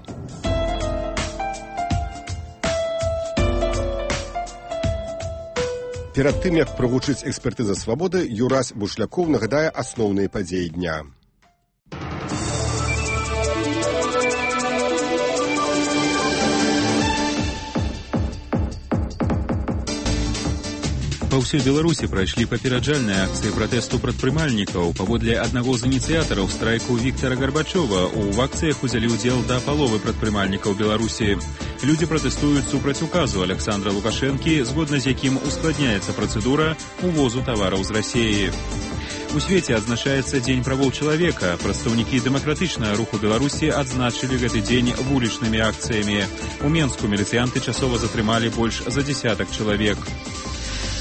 Перад тым, як прагучыць экспертыза «Свабоды», Юрась Бушлякоў нагадае асноўныя падзеі дня. Па ўсёй Беларусі прайшлі папераджальныя акцыі пратэсту прадпрымальнікаў. Паводле аднаго з ініцыятараў страйку Віктара Гарбачова, у акцыях узялі ўдзел да паловы прадпрымальнікаў Беларусі. Людзі пратэстуюць супраць указу Александра Лукашэнкі, згодна з якім ускладняецца працэдура увозу тавараў з Расіі. У свеце адзначаецца Дзень правоў чалавека. Прадстаўнікі дэмакратычнага руху Беларусі адзначылі гэты дзень вулічнымі акцыямі. У Менску міліцыянты часова затрымалі больш за 10 чалавек.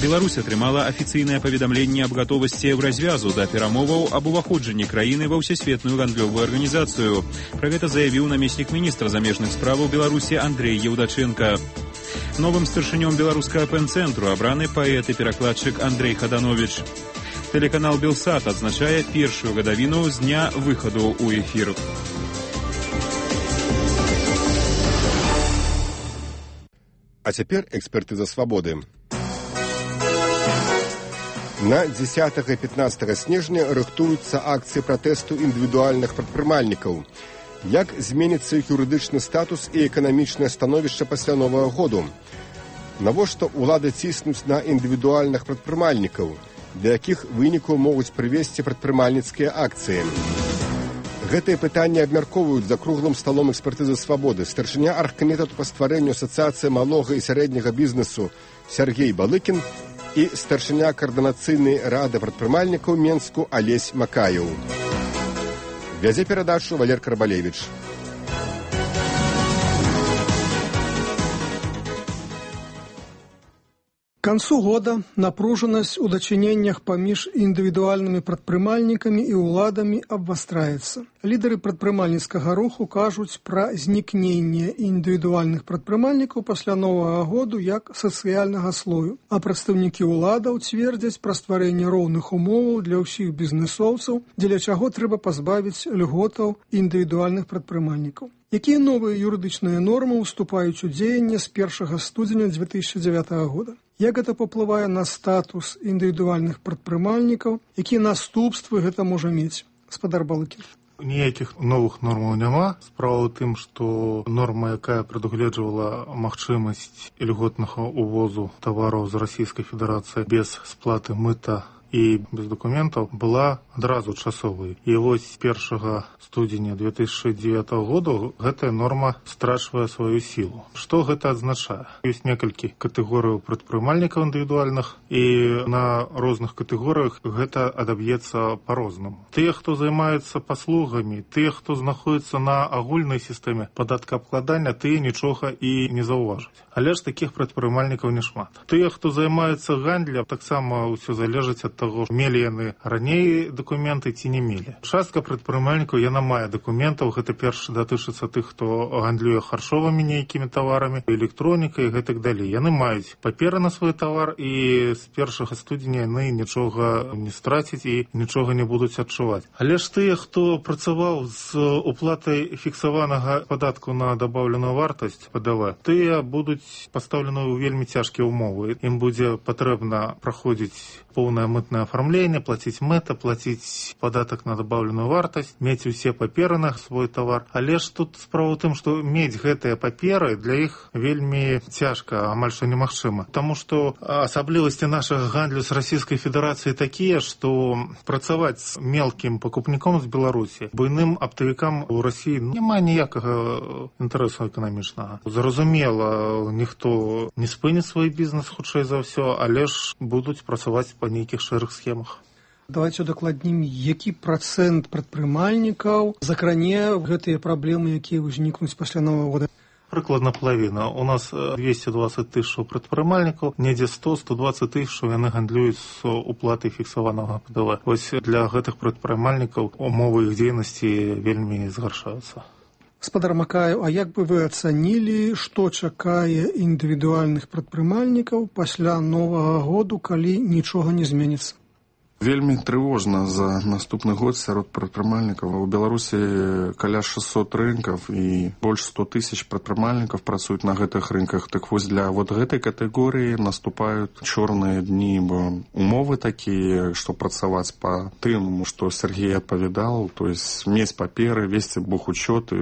Беларусь атрымала афіцыйнае паведамленне аб гатовасці развязу да перамоваў аб уваходжанні краіны ва ўсесветную гандлёвую арганізацыю. Пра гэта заявіў намеснік міністра замежных справаў Беларусі Андрэй Еўдачэнка. Новым старшынём беларускага пэн-цэнтру абраны паэт і перакладчык Андрэй Хаданович. Тэлеканал «Белсат» адзначае першую гадавіну з дня выхаду ў эфір. А цяпер экспертыза «Свабоды». На 10 і 15 снежня рыхтуюцца акцыі пратэсту індывідуальных прадпрымальнікаў. Як зменіцца іх юрыдычны статус і эканамічнае становішча пасля Новага году? Навошта ўлады ціснуць на індывідуальных прадпрымальнікаў? Для якіх вынікаў могуць прывесці прадпрымальніцкія акцыі? Гэтыя пытанні абмяркоўваюць за круглым сталом экспертызы «Свабоды» старшыня аргкамітэту па стварэнню асацыяцыі малога і сярэдняга бізнесу Сергей Балыкін і старшыня каардынацыйнай рады прадпрымальнікаў Менску Алесь Макаеў. Вядзе перадачу Валер Карбалевіч. К концу года напруженность у дачыненнях паміж індывідуальнымі прадпрымальнікамі і ўладамі абвастраецца. Лідары прадпрымальніцкага руху кажуць пра знікненне індывідуальных прадпрымальнікаў пасля Новага году як сацыяльнага слою, а прадстаўнікі ўладаў цвердзяць пра стварэнне роўных умоваў для ўсіх бізнесоўцаў, дзеля чаго трэба пазбавіць льготаў індывідуальных прадпрымальнікаў. Якія новыя юрыдычныя нормы уступаюць у дзеянне з 1 студзеня 2009 года? Як гэта паўплывае на статус індывідуальных прадпрымальнікаў? Якія наступствы гэта можа мець? Гаспадар Балыкін. Ніякіх новых нормаў няма. Справа ў тым, што норма, якая прадугледжвала магчымасць льготнага увозу тавараў з Расійскай Федэрацыі без сплаты мыта і без дакументаў, была адразу часовай. І вось 1 студзеня 2009 года гэтая норма страчвае сваю сілу. Што гэта азначае? Ёсць некалькі катэгорыяў прадпрымальнікаў індывідуальных, і на розных катэгорыях гэта адаб'ецца па-рознаму. Тыя, хто займаецца паслугамі, тыя, хто знаходзіцца на агульнай сістэме падаткаабкладання, тыя нічога і не заўважаць. Але ж такіх прадпрымальнікаў няшмат. Тыя, хто займаецца гандлем, таксама ўсё залежыць ад таго, мелі яны раней дакументы ці не мелі. Частка прадпрымальнікаў, яна мае дакументаў, гэта перш датычыцца тых, хто гандлюе харчовымі нейкімі таварамі, электронікай і гэтак далей. Яны маюць паперы на свой тавар, і з 1 студзеня яны нічога не страцяць і нічога не будуць адчуваць. Але ж тыя, хто працаваў з уплатай фіксаванага падатку на дабаўленую вартасць ПДВ, тыя будуць пастаўлены ў вельмі цяжкія ўмовы. Ім будзе патрэбна праходзіць поўнае мытное оформление, платить мыта, платить податок на добавленную вартасць, мець усе паперы на свой товар. Але ж тут справа ў тым, што мець гэтыя паперы для іх вельмі цяжка, амаль што немагчыма. Таму што асаблівасці нашага гандлю з Расійскай Федэрацыі такія, што працаваць з мелкім пакупніком з Беларусі буйным аптавікам у Расіі няма ніякага інтарэсу эканамічнага. Зразумела, ніхто не спыніць свой бізнес хутчэй за ўсё, але ж будуць працаваць па нейкіх шэрых схемах. Давайте удакладнім, які працэнт прадпрымальнікаў закране гэтыя праблемы, якія ўзнікнуць пасля Новага года? Прыкладна палавіна. У нас 220 тысяч прадпрымальнікаў, недзе 100-120 тысяч яны гандлююць з уплатай фіксаванага ПДВ. Вось для гэтых прадпрымальнікаў умовы іх дзейнасці вельмі згаршаюцца. Гаспадар Макаев, а як бы вы ацанілі, што чакае індывідуальных прадпрымальнікаў пасля Новага году, калі нічога не зменіцца? Вельмі трывожна за наступны год сярод прадпрымальнікаў. У Беларусі каля 600 рынкаў і больш 100 тысяч прадпрымальнікаў працуюць на гэтых рынках. Так вось для вот гэтай катэгорыі наступаюць чорныя дні, бо умовы такія, што працаваць па тым, што Сергей адпавядал, то есть мець паперы, весці бухучёт,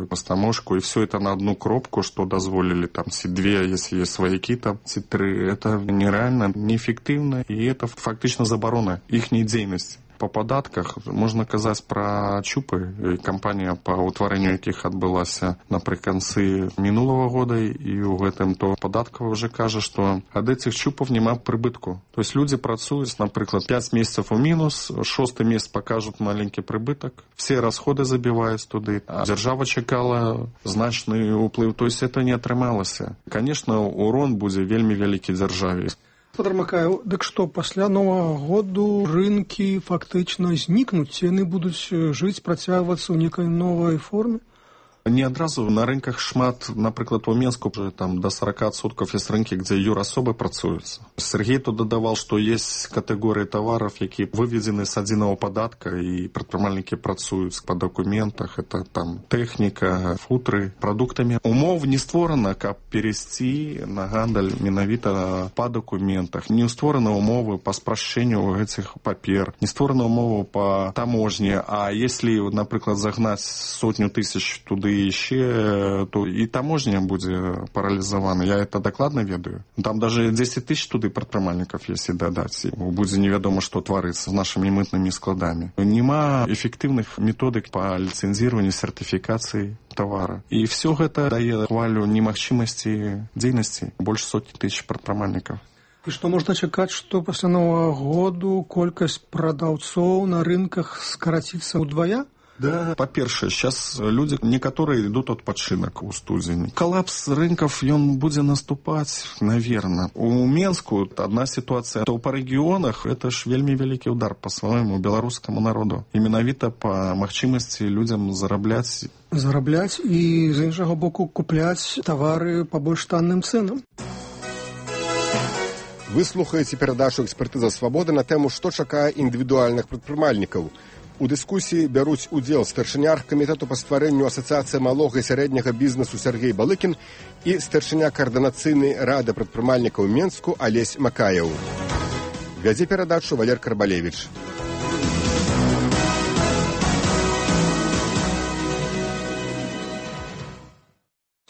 пастамошку, і все это на одну кропку, што дазволілі там ці две, если есть сваякі, там ці тры. Это нереально, неэффектыўна, і это фактычна забарона іхняй дзейнасці. Па падатках можна казаць пра чупы, кампанія па ўтварэнню якіх адбылася напрыканцы мінулага года, і ў гэтым то падаткава ўжо кажа, што ад этих чупаў няма прыбытку. То есть людзі працуюць, напрыклад, 5 месяцаў у мінус, 6-й месяц пакажуць маленькі прыбытак, все расходы забіваюць туды, а дзяржава чакала значны ўплыў, то есть это не атрымалася. Конечно, урон будзе вельмі вялікі дзяржаве. Гаспадар Макаев, дык што, пасля Новага году рынкі фактычна знікнуць, яны будуць жыць, працягвацца ў некай новай форме? Не адразу. На рынках шмат, напрыклад, у Менску там до 40% есть рынкі, дзе юрасобы працуюцца. Сергей тут дадавал, што есть катэгорыі таваров, якія выведзены з адзінага падатка, і прадпрымальнікі працуюць па дакументах. Это там тэхніка, футры, прадуктамі. Умов не створана, каб перейсці на гандаль менавіта па дакументах. Не створаны умовы па спрашчэнню гэтых папер, не створаны умовы па таможні. А если, напрыклад, загнаць 100 тысяч туды еще, то и таможня будет парализована. Я это докладно ведаю. Там даже 10 тысяч туды прадпрымальнікаў, если дадать. Будет неведомо, что творится с нашими мытными складами. Нема эффективных методик по лицензированию, сертификации товара. И все это дае хвалю немагчымасці дзейнасці больше 100 тысяч прадпрымальнікаў. І што можна чакаць, што пасля Новага году колькасць прадаўцоў на рынках скараціцца ўдвая? Да, по-першае, сейчас люди некаторые идут адпачынак у студзені. Коллапс рынков, он будет наступать, наверное. У Менску одна ситуация, то по регионах это ж вельмі вялікі удар по своему белорусскому народу. И менавіта по магчымасці людям зарабляць. Зарабляць і, з іншага боку, купляць тавары по больш танным цэнам. Вы слухаеце перадачу «Экспертыза свабоды» на тэму, што чакае індывідуальных прадпрымальнікаў. У дыскусіі бяруць удзел старшыня аргкамітэту па стварэнню асацыяцыі малога і сярэдняга бізнесу Сергей Балыкін і старшыня каардынацыйнай рады прадпрымальнікаў Менску Алесь Макаев. Вядзе перадачу Валер Карбалевіч.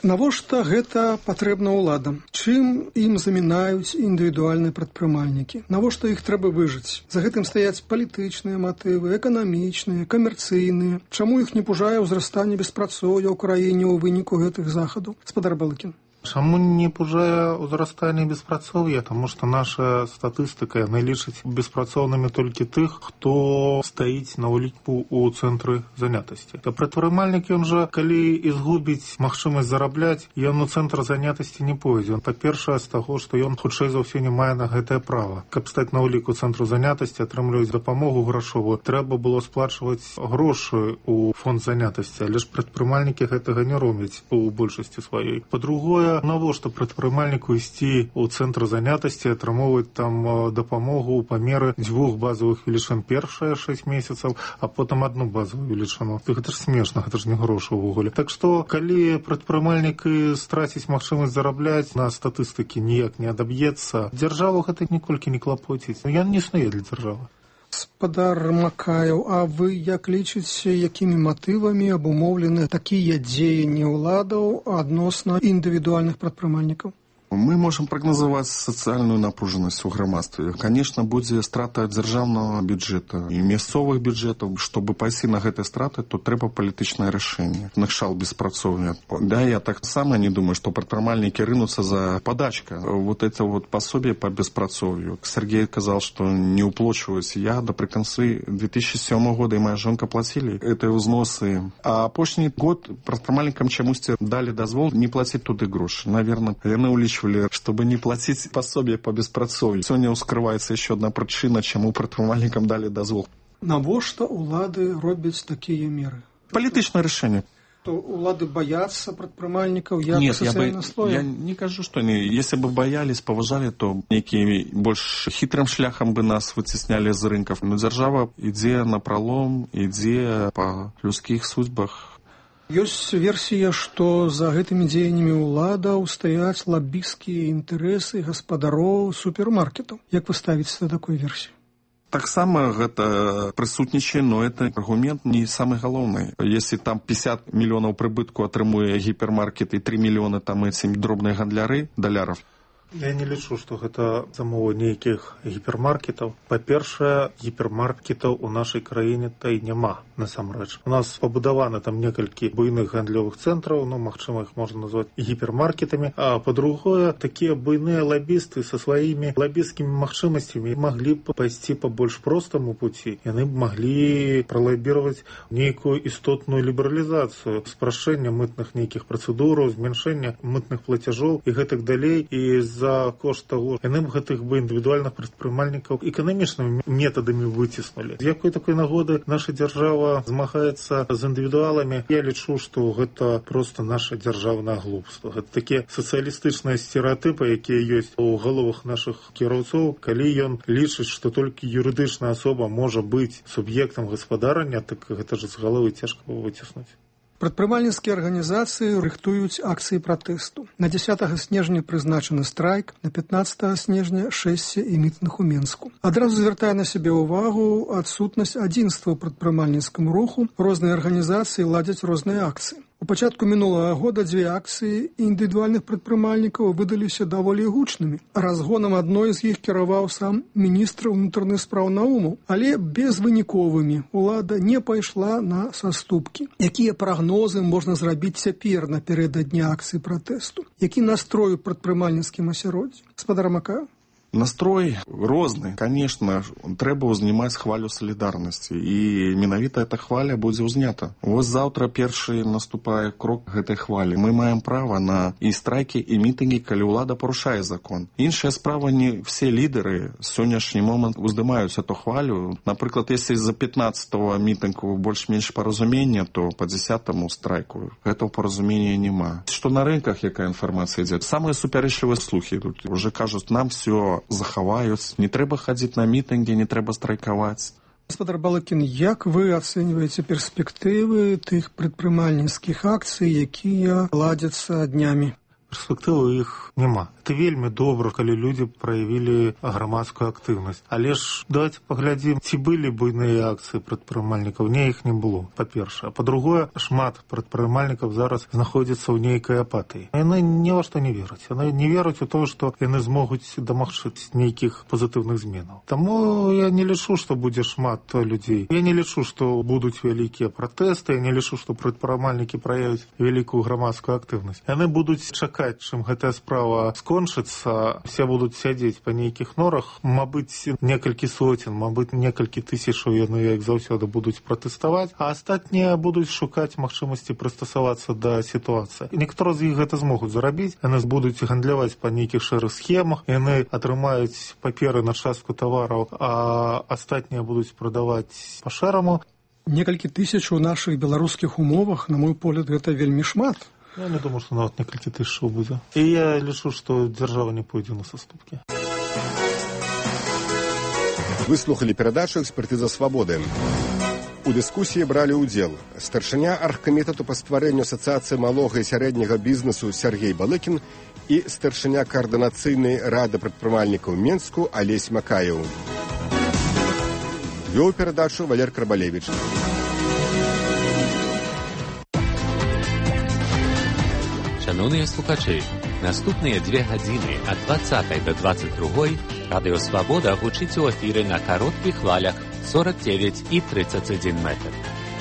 Навошта гэта патрэбна ўладам? Чым ім замінаюць індывідуальныя прадпрымальнікі? Навошта іх трэба выжыць? За гэтым стаяць палітычныя матывы, эканамічныя, камерцыйныя. Чаму іх не пужае ўзрастанне беспрацоўя ў краіне ў выніку гэтых захадаў? Гаспадар Балыкін. Чаму не пужае ўзрастанне беспрацоўя? Таму што наша статыстыка яна лічыць беспрацоўнымі толькі тых, хто стаіць на ўліку ў цэнтры занятасці. Прадпрымальнік, ён жа, калі і згубіць магчымасць зарабляць, ён у цэнтр занятасці не пойдзе. Па-першае, з таго, што ён хутчэй за ўсё не мае на гэтае права. Каб стаць на ўліку цэнтру занятасці, атрымліваць дапамогу грашовую, трэба было сплачваць грошы ў фонд занятасці, але ж прадпрымальнікі гэтага не робяць у большасці сваёй. Па-другое, Па-другое, навошта прадпрымальніку ісці ў цэнтр занятасці, атрымоўваць там дапамогу па меры 2 базовых велічын першыя 6 месяцаў, а потым 1 базовую велічыну. Гэта ж смешна, гэта ж не грошы ўвогуле. Так што, калі прадпрымальнік страціць магчымасць зарабляць, на статыстыкі ніяк не адаб'ецца, дзяржаву гэта ніколькі не клапоціць. Ён не існуе для дзяржавы. Спадар Макаеў, а вы як лічыце, якімі матывамі абумоўлены такія дзеянні ўладаў адносна індывідуальных прадпрымальнікаў? Мы можем прогнозовать социальную напруженность у грамадстве. Конечно, будзе страта дзяржаўнага бюджета і мясцовых бюджетаў. Чтобы пайсці на гэтыя страты, то трэба палітычнае рашэнне. Накшал беспрацоўя. Да, я так само не думаю, что прадпрымальнікі рынутся за подачка. Вот это вот пособие по беспрацоўю. Сергей сказал, что не уплачиваюсь. Я напрыканцы 2007 года и моя жонка платили эти взносы. А апошні год прадпрымальнікам чамусьці дали дазвол не платить туды грошы. Наверное, яны улічвалі, чтобы не платить пособие по беспрацоўю. Сегодня ускрывается еще одна причина, чему прадпрымальнікам дали дозвол. Навошта улады робяць такія меры? Палітычнае рашэнне. То улады боятся прадпрымальнікаў як сацыяльнага слоя? Я не кажу, что они, если бы боялись, поважали, то некие больше хитрым шляхом бы нас вытесняли з рынков. Но дзяржава ідзе на пролом, ідзе по людских судьбах. Ёсць версія, што за гэтымі дзеяннямі ўладаў стаяць лабісцкія інтарэсы гаспадароў супермаркетаў. Як вы ставіце да такой версіі? Таксама гэта прысутнічае, но это аргумент не самый галоўны. Если там 50 мільёнаў прыбытку атрымуе гіпермаркет і 3 мільёны там эти дробныя гандляры даляров, Я не лічу, што гэта замова нейкіх гіпермаркетаў. Па-першае, гіпермаркетаў у нашай краіне та і няма, насамрэч. У нас пабудаваны там некалькі буйных гандлёвых цэнтраў, ну, магчыма, іх можна назваць гіпермаркетамі. А па-другое, такія буйныя лабісты са сваімі лабісцкімі магчымасцямі маглі б пайсці па больш простаму пуці. Яны б маглі пралабіраваць нейкую істотную лібералізацыю, спрашчэння мытных нейкіх працэдураў, змяншэння мытных плацяжоў і гэтак далей. І за кошт того, яны б гэтых бы індывідуальных прадпрымальнікаў эканамічнымі метадамі выціснулі. З якой такой нагоды наша дзяржава змагаецца з індывідуаламі? Я лічу, што гэта проста наша дзяржаўнае глупства. Гэта такія сацыялістычныя стэрэатыпы, якія ёсць у галовах нашых кіроўцоў. Калі ён лічыць, што толькі юрыдычная асоба можа быць суб'ектам гаспадарання, так гэта ж з галовы цяжка выціснуць. Прадпрымальніцкія арганізацыі рыхтуюць акцыі пратэсту. На 10 снежня прызначаны страйк, на 15 снежня шэсце і мітынг у Менску. Адразу звяртае на сябе ўвагу адсутнасць адзінства ў прадпрымальніцкім руху. Розныя арганізацыі ладзяць розныя акцыі. У пачатку мінулага года 2 акцыі індывідуальных прадпрымальнікаў выдаліся даволі гучнымі. Разгонам адной з іх кіраваў сам міністр унутраных спраў Наумаў, але безвыніковымі. Улада не пайшла на саступкі. Якія прагнозы можна зрабіць цяпер напярэдадні акцыі пратэсту? Які настрой у прадпрымальніцкім асяроддзі? Спадар Макаеў? Настрой розны. Конечно, трэба ўзнімаць хвалю салідарнасці. І менавіта эта хваля будзе ўзнята. Вось заўтра першы наступае крок гэтай хвалі. Мы маем права на і страйкі, і мітынгі, калі ўлада парушае закон. Іншая справа, не все лідеры сённяшні момант уздымаюць эту хвалю. Напрыклад, если за 15-го мітынгу больш-менш паразумення, то по 10-му страйку гэтага паразумення няма. Што на рынках, якая інфармацыя ідзе? Самыя супярэчлівыя слухі тут уже кажуць, нам все захаваюць, не трэба хадзіць на мітынгі, не трэба страйкаваць. Гаспадар Балыкін, як вы ацэньваеце перспектывы тых прадпрымальніцкіх акцый, якія ладзяцца днямі? Перспектывы іх няма. Это вельмі добра, калі людзі праявілі грамадскую актыўнасць. Але ж давайте паглядзім, ці былі буйныя акцыі прадпрымальнікаў. Не, іх не было, па-першае. Па-другое, шмат прадпрымальнікаў зараз знаходзяцца ў нейкай апатыі. Яны ні ва што не вераць. Яны не вераць у тое, што яны змогуць дамагчыць нейкіх пазітыўных зменаў. Таму я не лічу, што будзе шмат людзей. Я не лічу, што будуць вялікія пратэсты. Я не лічу, што прадпрымальнікі праявяць вялікую грамадскую актыўнасць. Яны будуць чакаць, чым гэтая справа скончыцца, все будуць сядзець па нейкіх норах, мабыць, некалькі соцень, мабыць, некалькі тысячаў яны, як заўсёды, будуць пратэставаць, а астатнія будуць шукаць магчымасці прыстасавацца да сітуацыі. Некаторыя з іх гэта змогуць зарабіць, яны будуць гандляваць па нейкіх шэрых схемах, яны атрымаюць паперы на частку тавараў, а астатнія будуць прадаваць па шэраму. Некалькі тысяч у нашых беларускіх умовах, на мой погляд, гэта вельмі шмат. Я не думаю, што нават некалькі тысячаў будзе. І я лічу, што дзяржава не пойдзе на саступкі. Вы слухали перадачу «Экспертыза свабоды». У дыскусіі бралі ўдзел старшыня аргкамітэту па стварэнню асацыяцыі малога і сярэдняга бізнесу Сергей Балыкін і старшыня каардынацыйнай рады прадпрымальнікаў Менску Алесь Макаеў. Вёў перадачу Валер Карбалевіч. Шановныя слухачы, наступныя 2 гадзіны ад 20 до 22 Радыё Свабода гучыць у эфіры на кароткіх хвалях 49 і 31 метр.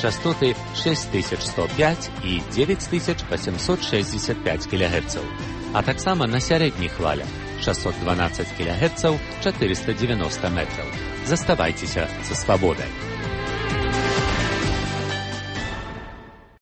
Частоты 6105 і 9865 кГц. А таксама на сярэдніх хвалях 612 кГц 490 метраў. Заставайцеся са свабодай.